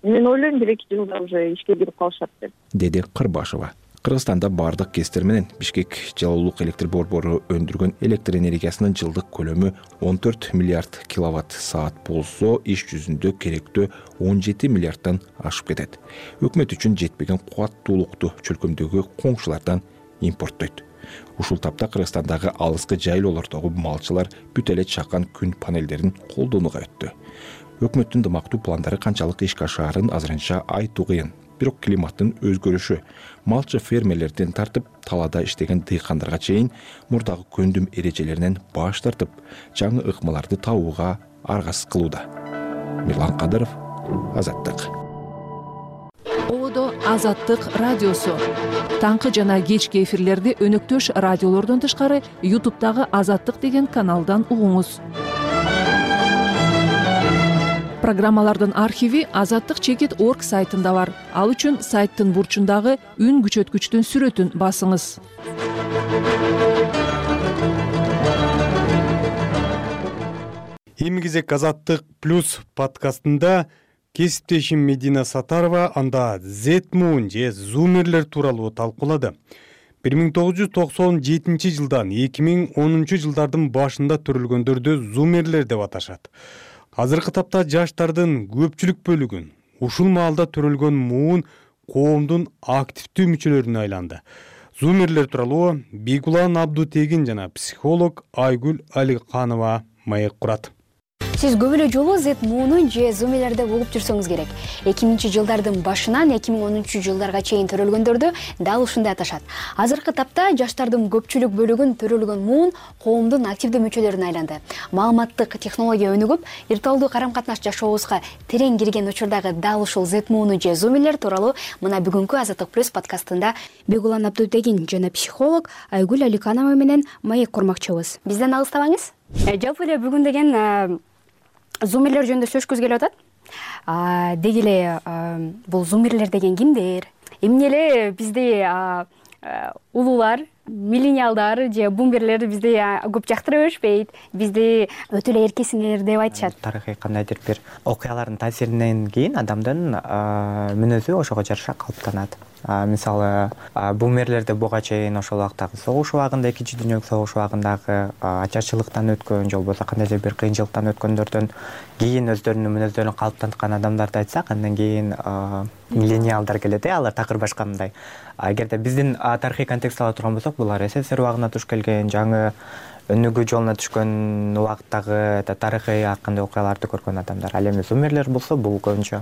Speaker 8: Мен ойлойм бир эки жылда уже ишке кирип калышат деп. Деди
Speaker 5: Кырбашева. Кыргызстанда бардык кесттер менен Бишкек жалалуулук электр борбору өндүргөн электр энергиясынын жылдык көлөмү он төрт миллиард киловатт саат болсо, иш жүзүндө керектөө он жети миллиардтан ашып кетет. Өкмөт үчүн жетпеген кубаттуулукту чөлкөмдөгү коңшулардан импорттойт. Ушул тапта Кыргызстандагы алыскы жайлоолордогу малчылар бүт эле чакан күн панелдерин колдонууга өттү. Өкмөттүн дымактуу пландары канчалык ишке ашаарын азырынча айтуу кыйын. бирок климаттын өзгөрүшү малчы фермерлерден тартып талаада иштеген дыйкандарга чейин мурдагы көндүм эрежелеринен баш тартып жаңы ыкмаларды табууга аргасыз кылууда. Мирлан Кадыров, Азаттык.
Speaker 27: Ободо Азаттык радиосу. Таңкы жана кечки эфирлерди өнөктөш радиолордон тышкары ютубтагы Азаттык деген каналдан угуңуз. Программалардын архиви азаттык чекит орг сайтында бар. Ал үчүн сайттын бурчундагы үн күчөткүчтүн сүрөтүн басыңыз.
Speaker 1: Эми кезек Азаттык плюс подкастында кесиптешим Медина Сатарова анда Z-Moon же зумерлер тууралуу талкуулады. бир миң тогуз жүз токсон жетинчи жылдан эки миң онунчу жылдардын башында төрөлгөндөрдү зумерлер деп аташат. Азыркы тапта жаштардын көпчүлүк бөлүгүн ушул маалда төрөлгөн муун коомдун активдүү мүчөлөрүнө айланды. Зумерлер тууралуу Бегулан Абдутегин жана психолог Айгүл Аликанова маек курат.
Speaker 9: Сиз көп эле жолу Z-Moon'ун же зумерлерде угуп жүрсөңүз керек. эки миңинчи жылдардын башынан эки миң онунчу жылдарга чейин төрөлгөндөрдү дал ушундай аташат. Азыркы тапта жаштардын көпчүлүк бөлүгүн төрөлгөн муун коомдун активдүү мүчөлөрүнө айланды. Маалыматтык технология өнүгүп, виртуалдуу карам-катнаш жашообузга терең кирген учурдагы дал ушул Z-Moon же зумерлер тууралуу мына бүгүнкү Азаттык плюс подкастында Бегулан Абдутегин жана психолог Айгүл Аликанова менен маек курмакчыбыз. Бизден алыстабаңыз. Жалпы эле бүгүн деген зумерлер жөнүндө сөзгүз келип атат. Деги эле бул зумерлер деген кимдер? Эмне эле бизди улуулар, миллениалдар же бумерлер бизди көп жактыра беришпейт, бизди өтө эле эркесиңер деп айтышат.
Speaker 10: Тарыхый кандайдыр бир окуялардын таасиринен кийин адамдын мүнөзү ошого жараша калыптанат. Мисалы, бумерлерде буга чейин ошол убактагы согуш убагында, экинчи дүйнөлүк согуш убагындагы ачарчылыктан өткөн же болбосо кандайдыр бир кыйынчылыктан өткөндөрдөн кийин өздөрүнүн мүнөздөрүн калыптанткан адамдарды айтсак, андан кийин миллениалдар келет, алар такыр башка мындай. Эгерде биздин тарыхый контекстти ала турган болсок, булар СССР убагына туш келген, жаңы өнүгүү жолуна түшкөн убактагы тарыхый ар кандай окуяларды көргөн адамдар. Ал эми зумерлер болсо бул көбүнчө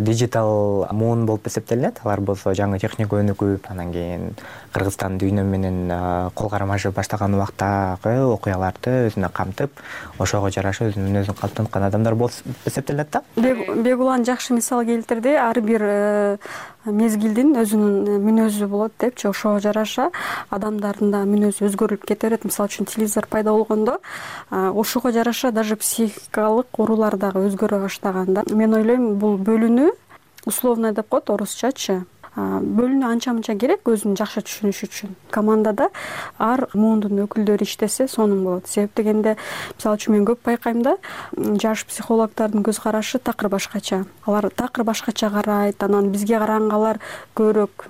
Speaker 10: диджитал муун болуп эсептелинет. Алар болсо жаңы техника өнүгүп, анан кийин Кыргызстан дүйнө менен кол кармашып баштаган убактагы окуяларды өзүнө камтып, ошого жараша өзүнүн мүнөзүн калыптанткан адамдар болуп эсептелет да.
Speaker 11: Бегулан жакшы мисал келтирди. Ар бир мезгилдин өзүнүн мүнөзү болот депчи, ошого жараша адамдардын да мүнөзү өзгөрүлүп кете берет. Мисалы үчүн телевизор пайда болгондо ошого жараша даже психикалык оорулар дагы өзгөрө баштаган да. Мен ойлойм, бул бөлүнүү условно деп коет орусчачы. Бөлүнүү анча-мынча керек өзүн жакшы түшүнүш үчүн. Командада ар муундун өкүлдөрү иштесе сонун болот. Себеп дегенде, мисалы үчүн мен көп байкайм да, жаш психологдордун көз карашы такыр башкача. Алар такыр башкача карайт, анан бизге караганга алар көбүрөөк,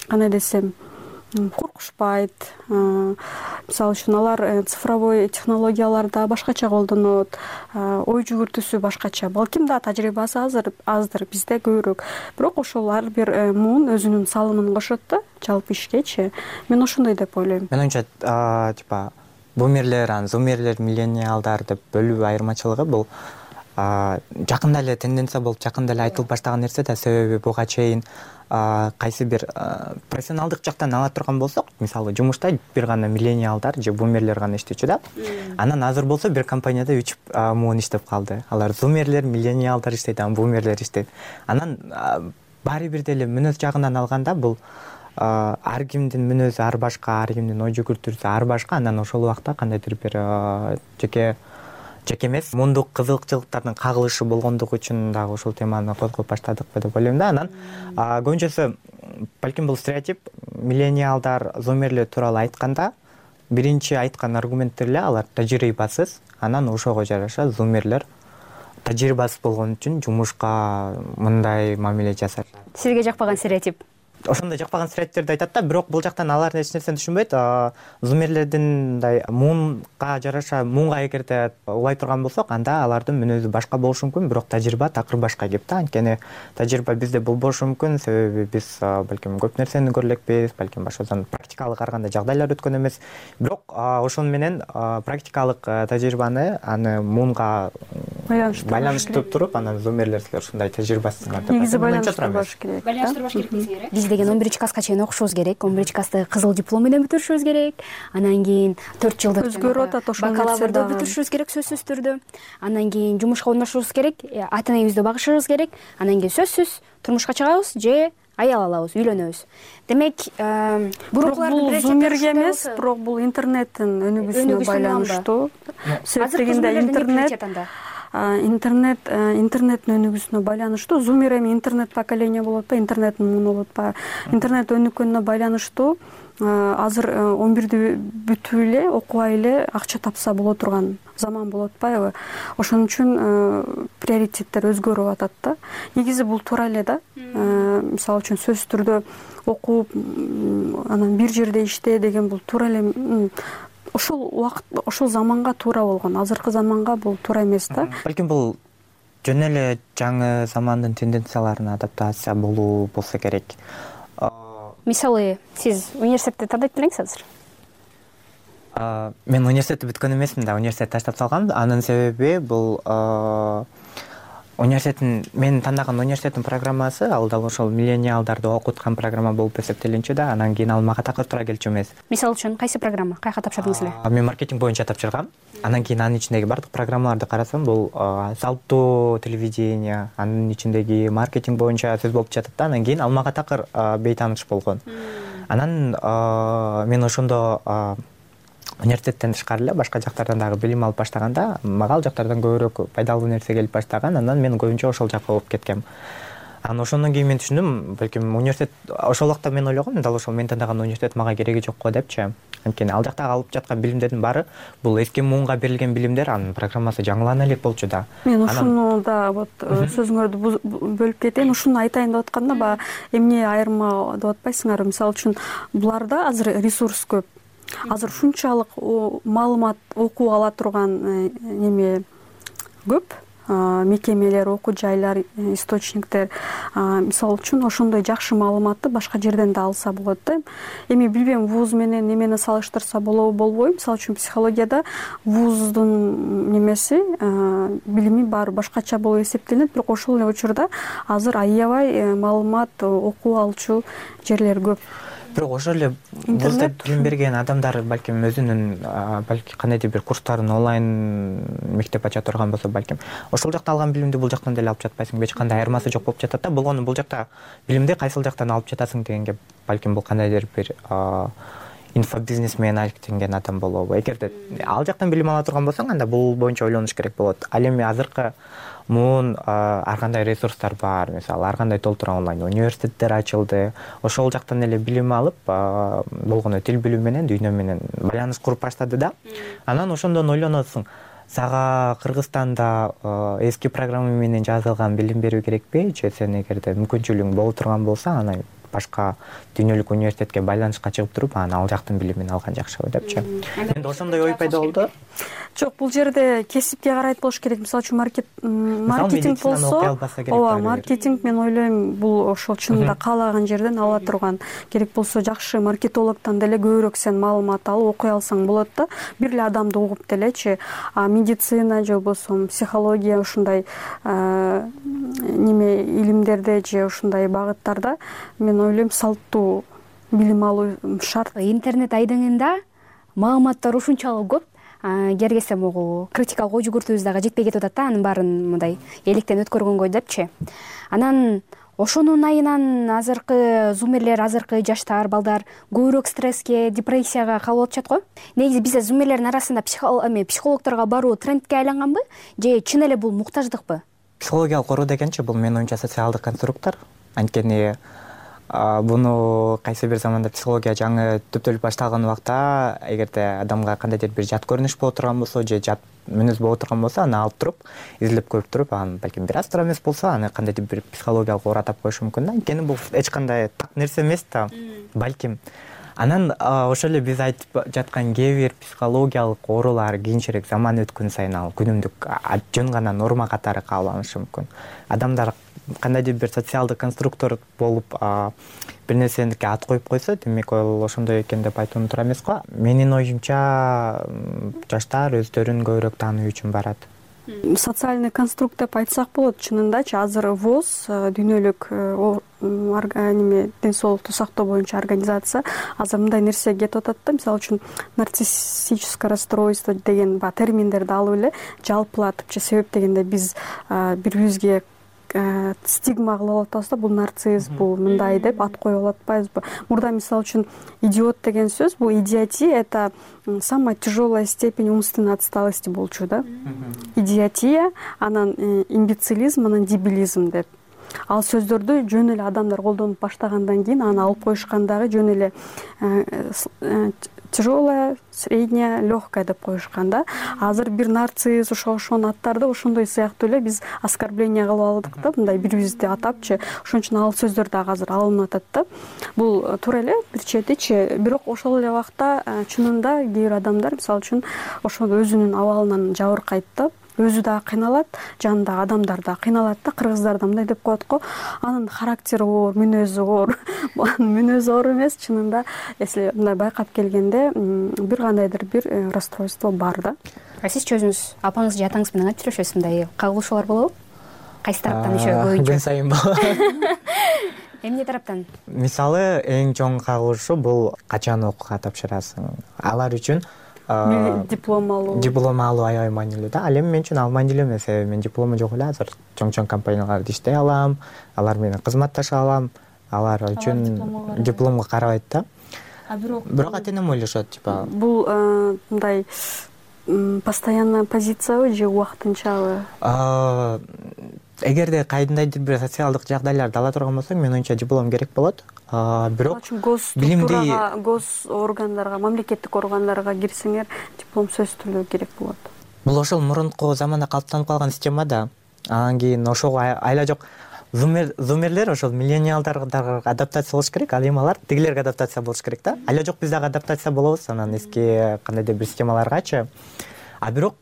Speaker 11: кандай десем, коркушпайт. Мисалы үчүн алар цифровой технологияларды башкача колдонот, ой жүгүртүүсү башкача. Балким да тажрыйбасы азыр аздыр, бизде көбүрөөк. Бирок ошол ар бир муун өзүнүн салымын кошот да, жалпы ишкечи. Мен ошондой деп ойлойм.
Speaker 10: Мен ойымча, типа бумерлер, зумерлер, миллениалдар деп бөлүү айырмачылыгы бул жакында эле тенденция болуп, жакында эле айтылып баштаган нерсе да. Себеби буга чейин кайсы бир профессионалдык жактан ала турган болсок, мисалы жумушта бир гана миллениалдар же бумерлер гана иштечү да. Анан азыр болсо бир компанияда үч муун иштеп калды. Алар зумерлер, миллениалдар иштейт, анан бумерлер иштейт. Анан баары бир деле мүнөз жагынан алганда бул ар кимдин мүнөзү ар башка, ар кимдин ой жүгүртүүсү ар башка. Анан ошол убакта кандайдыр бир жеке жеке эмес мундук кызыкчылыктардын кагылышы болгондугу үчүн дагы ушул теманы козгоп баштадыкпы деп ойлойм да. Анан көбүнчөсү балким бул стереотип. Миллениалдар, зумерлер тууралуу айтканда биринчи айткан аргументтер эле алар тажрыйбасыз. Анан ошого жараша зумерлер тажрыйбасыз болгон үчүн жумушка мындай мамиле жасайт.
Speaker 9: Сизге жакпаган стереотип?
Speaker 10: Ошондой жакпаган стереотиптерди айтат да, бирок бул жактан алар эч нерсени түшүнбөйт. Зумерлердин мындай муунга жараша, муунга эгерде улай турган болсок, анда алардын мүнөзү башка болушу мүмкүн, бирок тажрыйба такыр башка кеп да. Анткени тажрыйба бизде бул болушу мүмкүн, себеби биз балким көп нерсени көрөлекпиз, балким башкадан практикалык ар кандай жагдайлар өткөн эмес. Бирок ошону менен практикалык тажрыйбаны аны муунга
Speaker 11: байланыштырып
Speaker 10: байланыштырып туруп анан зумерлер силер ушундай тажрыйбасыңар деп
Speaker 11: негизи байланыштырбаш керек.
Speaker 9: Байланыштырбаш керек дейсиңер э? Биз деген он биринчи класска чейин окушубуз керек. он биринчи классты кызыл диплом менен бүтүрүшүбүз керек. Анан кийин төрт жылдык
Speaker 11: өзгөрүп атат ошол нерсе
Speaker 9: бакалаврды бүтүрүшүбүз керек сөзсүз түрдө. Анан кийин жумушка орношубуз керек, ата энебизди багышыбыз керек. Анан кийин сөзсүз турмушка чыгабыз же аял алабыз, үйлөнөбүз. Демек,
Speaker 11: бул зумерге эмес, бирок бул интернеттин өнүгүүсүнө байланыштуу. Себеп дегенде интернет интернет интернеттин өнүгүүсүнө байланыштуу. Зумер эми интернет поколение болуп атпайбы, интернеттин муну болуп атпайбы. Интернет өнүккөнүнө байланыштуу азыр он бирди бүтүп эле окубай эле акча тапса боло турган заман болуп атпайбы. Ошон үчүн приоритеттер өзгөрүп атат да. Негизи бул туура эле да. Мисалы үчүн сөзсүз түрдө окуп анан бир жерде иште деген бул туура эле ошол убакыт, ошол заманга туура болгон. Азыркы заманга бул туура эмес да.
Speaker 10: Балким бул жөн эле жаңы замандын тенденцияларына адаптация болуу болсо керек.
Speaker 9: Мисалы, сиз университетти тандайт белеңиз азыр?
Speaker 10: Мен университетти бүткөн эмесмин да, университетти таштап салгам. Анын себеби бул университеттин мен тандаган университеттин программасы ал дал ошол миллениалдарды окуткан программа болуп эсептелинчү да, анан кийин ал мага такыр туура келчү эмес.
Speaker 9: Мисалы үчүн кайсы программа? Каяка тапшырдыңыз эле?
Speaker 10: Мен маркетинг боюнча тапшыргам. Анан кийин анын ичиндеги бардык программаларды карасам, бул салттуу телевидение, анын ичиндеги маркетинг боюнча сөз болуп жатат да. Анан кийин ал мага такыр бейтааныш болгон. Анан мен ошондо университеттен тышкары эле башка жактардан дагы билим алып баштаганда мага ал жактардан көбүрөөк пайдалуу нерсе келип баштаган. Анан мен көбүнчө ошол жакка болуп кеткем. Анан ошондон кийин мен түшүндүм, балким университет ошол убакта мен ойлогом, дал ошол мен тандаган университет мага кереги жок го депчи. Анткени ал жактагы алып жаткан билимдердин баары бул эски муунга берилген билимдер, анын программасы жаңылана элек болчу да.
Speaker 11: Мен ушуну да вот сөзүңөрдү бөлүп кетейин, ушуну айтайын деп атканда баягы эмне айырма деп атпайсыңарбы? Мисалы үчүн буларда азыр ресурс көп. Азыр ушунчалык маалымат окуп ала турган неме көп, мекемелер, окуу жайлар, источниктер. Мисалы үчүн ошондой жакшы маалыматты башка жерден да алса болот да. Эми билбейм, вуз менен немени салыштырса болобу, болбойбу? Мисалы үчүн психологияда вуздун немеси, билими баары башкача болуп эсептелинет, бирок ошол эле учурда азыр аябай маалымат окуп алчу жерлер көп.
Speaker 10: Бирок ошол эле вузда билим берген адамдар балким өзүнүн балки кандайдыр бир курстарын онлайн мектеп ача турган болсо, балким ошол жакта алган билимди бул жактан деле алып жатпайсың, эч кандай айырмасы жок болуп жатат да. Болгону бул жакта билимди кайсыл жактан алып жатасың дегенге балким бул кандайдыр бир инфобизнес менен алектенген адам болобу. Эгерде ал жактан билим ала турган болсоң, анда бул боюнча ойлонуш керек болот. Ал эми азыркы муун ар кандай ресурстар бар, мисалы ар кандай толтура онлайн университеттер ачылды. Ошол жактан эле билим алып, болгону тил билүү менен дүйнө менен байланыш куруп баштады да. Анан ошондон ойлоносуң, сага Кыргызстанда эски программа менен жазылган билим берүү керекпи, же сен эгерде мүмкүнчүлүгүң боло турган болсо, анан башка дүйнөлүк университетке байланышка чыгып туруп, анан ал жактын билимин алган жакшыбы депчи. Менде ошондой ой пайда болду.
Speaker 11: Жок, бул жерде кесипке карайт болуш керек. Мисалы үчүн маркетинг болсо, ооба, маркетинг мен ойлойм бул ошол чынында каалаган жерден ала турган. Керек болсо жакшы маркетологдон деле көбүрөөк сен маалымат алып окуй алсаң болот да. Бир эле адамды угуп делечи. А медицина же болбосо психология ушундай неме илимдерде же ушундай багыттарда мен ойлойм салттуу билим алуу шарт.
Speaker 9: Интернет айдыңында маалыматтар ушунчалык көп. Кергесе могу критикалык ой жүгүртүүбүз дагы жетпей кетип атат да, анын баарын мындай электен өткөргөнгө депчи. Анан ошонун айынан азыркы зумерлер, азыркы жаштар, балдар көбүрөөк стресске, депрессияга кабыл атышат го. Негизи бизде зумерлердин арасында психологторго баруу трендке айланганбы, же чын эле бул муктаждыкпы?
Speaker 10: Психологиялык оору дегенчи бул менин оюмча социалдык конструктор. Анткени буну кайсы бир заманда психология жаңы түптөлүп башталган убакта, эгерде адамга кандайдыр бир жат көрүнүш боло турган болсо же жат мүнөз боло турган болсо, аны алып туруп, изилдеп көрүп туруп, анан балким бир аз туура эмес болсо, аны кандайдыр бир психологиялык оору атап коюшу мүмкүн да. Анткени бул эч кандай так нерсе эмес да, балким. Анан ошол эле биз айтып жаткан кээ бир психологиялык оорулар кийинчерээк заман өткөн сайын ал күнүмдүк жөн гана норма катары кабыл алышы мүмкүн. Адамдар кандайдыр бир социалдык конструктор болуп бир нерсеге ат коюп койсо, демек ал ошондой экен деп айтуу туура эмес го. Менин оюмча жаштар өздөрүн көбүрөөк тааныуу үчүн барат.
Speaker 11: Социальный конструкт деп айтсак болот. Чынындачы азыр ВОЗ дүйнөлүк неме ден соолукту сактоо боюнча организация азыр мындай нерсе кетип атат да. Мисалы үчүн нарциссическое расстройство деген баягы терминдерди алып эле жалпылатыпчы. Себеп дегенде биз бири бирибизге стигма кылып атабыз да, бул нарцисс, бул мындай деп ат коюп алып атпайбызбы? Мурда мисалы үчүн идиот деген сөз, бул идиотия — это самая тяжелая степень умственной отсталости болчу да. Идиотия, анан имбецилизм, анан дебилизм деп. Ал сөздөрдү жөн эле адамдар колдонуп баштагандан кийин аны алып коюшкан дагы жөн эле тяжелая, средняя, легкая деп коюшкан да. Азыр бир нарцисс, ошо ошонун аттарды ошондой сыяктуу эле биз оскорбление кылып алдык да, мындай бири бирибизди атапчы. Ошон үчүн ал сөздөр дагы азыр алынып атат да. Бул туура эле бир четичи, бирок ошол эле убакта чынында кээ бир адамдар мисалы үчүн ошол өзүнүн абалынан жабыркайт да. Өзү дагы кыйналат, жанындагы адамдар да кыйналат да. Кыргыздарда мындай деп коет го, анын характери оор, мүнөзү оор. Анын мүнөзү оор эмес, чынында если мындай байкап келгенде бир кандайдыр бир расстройство бар да.
Speaker 9: А сизчи өзүңүз апаңыз же атаңыз менен кантип жүрөшөсүз? Мындай кагылышуулар болобу? Кайсы тараптан ишөө көбүнчө? Күн
Speaker 10: сайын болот.
Speaker 9: Эмне тараптан?
Speaker 10: Мисалы, эң чоң кагылышуу бул качан окууга тапшырасың. Алар үчүн
Speaker 11: диплом алуу.
Speaker 10: Диплом алуу аябай маанилүү да. Ал эми мен үчүн ал маанилүү эмес. Мен диплому жок эле азыр чоң-чоң компанияларда иштей алам, алар менен кызматташа алам. Алар үчүн дипломго карабайт да.
Speaker 11: А бирок
Speaker 10: бирок ата-энем ойлошот, типа
Speaker 11: бул мындай постоянная позициябы же убактынчабы?
Speaker 10: Эгерде кайдандайдыр бир социалдык жагдайларды ала турган болсоң, менин оюмча диплом керек болот. Бирок
Speaker 11: билимди гос органдарга, мамлекеттик органдарга кирсеңер, диплом сөзсүз түрдө керек болот.
Speaker 10: Бул ошол мурунку заманда калыптанып калган система да. Анан кийин ошого айла жок зумерлер, ошол миллениалдарга адаптация болуш керек, ал эми алар тигилерге адаптация болуш керек да. Айла жок биз дагы адаптация болобуз анан эски кандайдыр бир системаларгачы. А бирок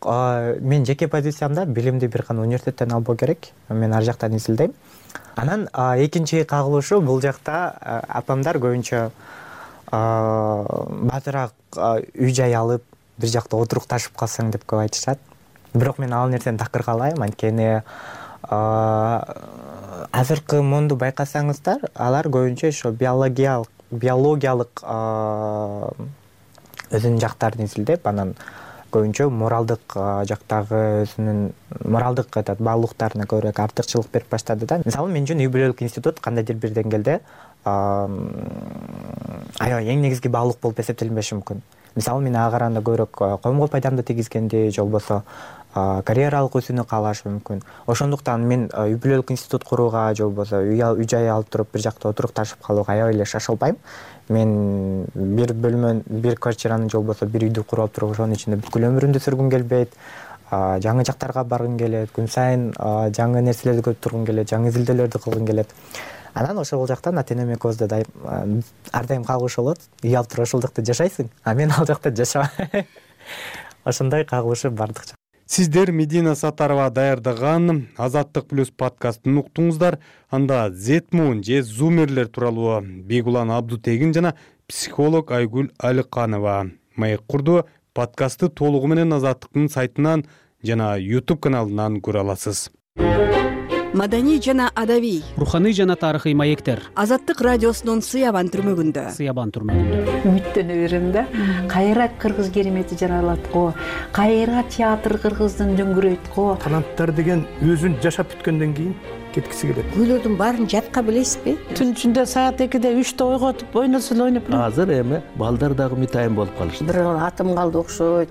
Speaker 10: мен жеке позициямда билимди бир гана университеттен албоо керек. Мен ар жактан изилдейм. Анан экинчи кагылышуу бул жакта апамдар көбүнчө баатыраак үй жай алып бир жакта отурукташып калсаң деп көп айтышат. Бирок мен ал нерсени такыр каалайм, анткени азыркы монду байкасаңыздар, алар көбүнчө ошо биологиялык биологиялык өзүнүн жактарын изилдеп, анан көбүнчө моралдык жактагы өзүнүн моралдык этот баалуулуктарына көбүрөөк артыкчылык берип баштады да. Мисалы, мен үчүн үй бүлөлүк институт кандайдыр бир деңгээлде аябай эң негизги баалуулук болуп эсептелинбеши мүмкүн. Мисалы, мен ага караганда көбүрөөк коомго пайдамды тийгизгенди же болбосо карьералык өсүүнү каалашы мүмкүн. Ошондуктан мен үй бүлөлүк институт курууга же болбосо үй жай алып туруп бир жакта отурукташып калууга аябай эле шашылбайм. Мен бир бөлмө, бир квартираны же болбосо бир үйдү куруп алып туруп ошонун ичинде бүткүл өмүрүмдү сүргүм келбейт. Жаңы жактарга баргым келет, күн сайын жаңы нерселерди көрүп тургум келет, жаңы изилдөөлөрдү кылгым келет. Анан ошол жактан ата-энем экөөбүздө ар дайым кагылышуу болот. Үй алып туруп ошол жакта жашайсың, а мен ал жакта жашабайм. Ошондой кагылышуу бардыкча.
Speaker 1: Сиздер Медина Сатарова даярдаган Азаттык плюс подкастын уктуңуздар. Анда Зетмун же зумерлер тууралуу Бегулан Абдутегин жана психолог Айгүл Алыканова маек курду. Подкастты толугу менен Азаттыктын сайтынан жана YouTube каналынан көрө аласыз.
Speaker 27: Маданий жана адабий,
Speaker 2: руханий жана тарыхый маектер.
Speaker 27: Азаттык радиосунун Сыябан түрмөгүндө.
Speaker 2: Сыябан түрмөгүндө.
Speaker 12: Үмүттөнө берем да. Кайра кыргыз керемети жаралат го. Кайра театр кыргыздын дөңгүрөйт го.
Speaker 14: Таланттар деген өзүн жашап бүткөндөн кийин кеткиси келет.
Speaker 12: Күйлөрдүн баарын жатка билесизби?
Speaker 14: Түн ичинде саат экиде үчтө ойготуп ойносо эле ойноп.
Speaker 15: Азыр эми балдар дагы мытайын болуп калышты.
Speaker 12: Бир атым калды окшойт.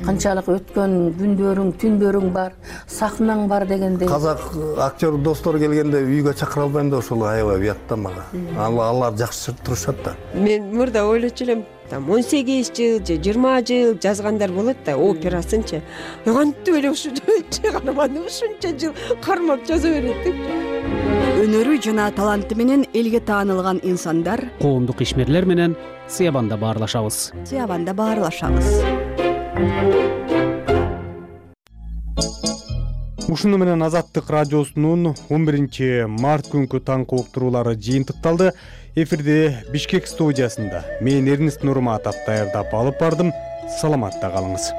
Speaker 12: Канчалык өткөн күндөрүң, түндөрүң бар, сахнаң бар дегенде.
Speaker 14: Казак актер достор келгенде үйгө чакыра албайм да, ошол аябай уят да мага. Алар жакшы турушат да.
Speaker 17: Мен мурда ойлочу элем, там он сегиз жыл же жыйырма жыл жазгандар болот да, операсынчы. Кантип эле ушунча каарманды ушунча жыл кармап жаза берет деп.
Speaker 27: Өнөрү жана таланты менен элге таанылган инсандар,
Speaker 2: коомдук ишмерлер менен Сыябанда баарлашабыз.
Speaker 27: Сыябанда баарлашабыз.
Speaker 1: Ушуну менен Азаттык радиосунун он биринчи март күнкү таңкы уктуруулары жыйынтыкталды. Эфирде Бишкек студиясында мен Эрнест Нурматов даярдап алып бардым. Саламатта калыңыз.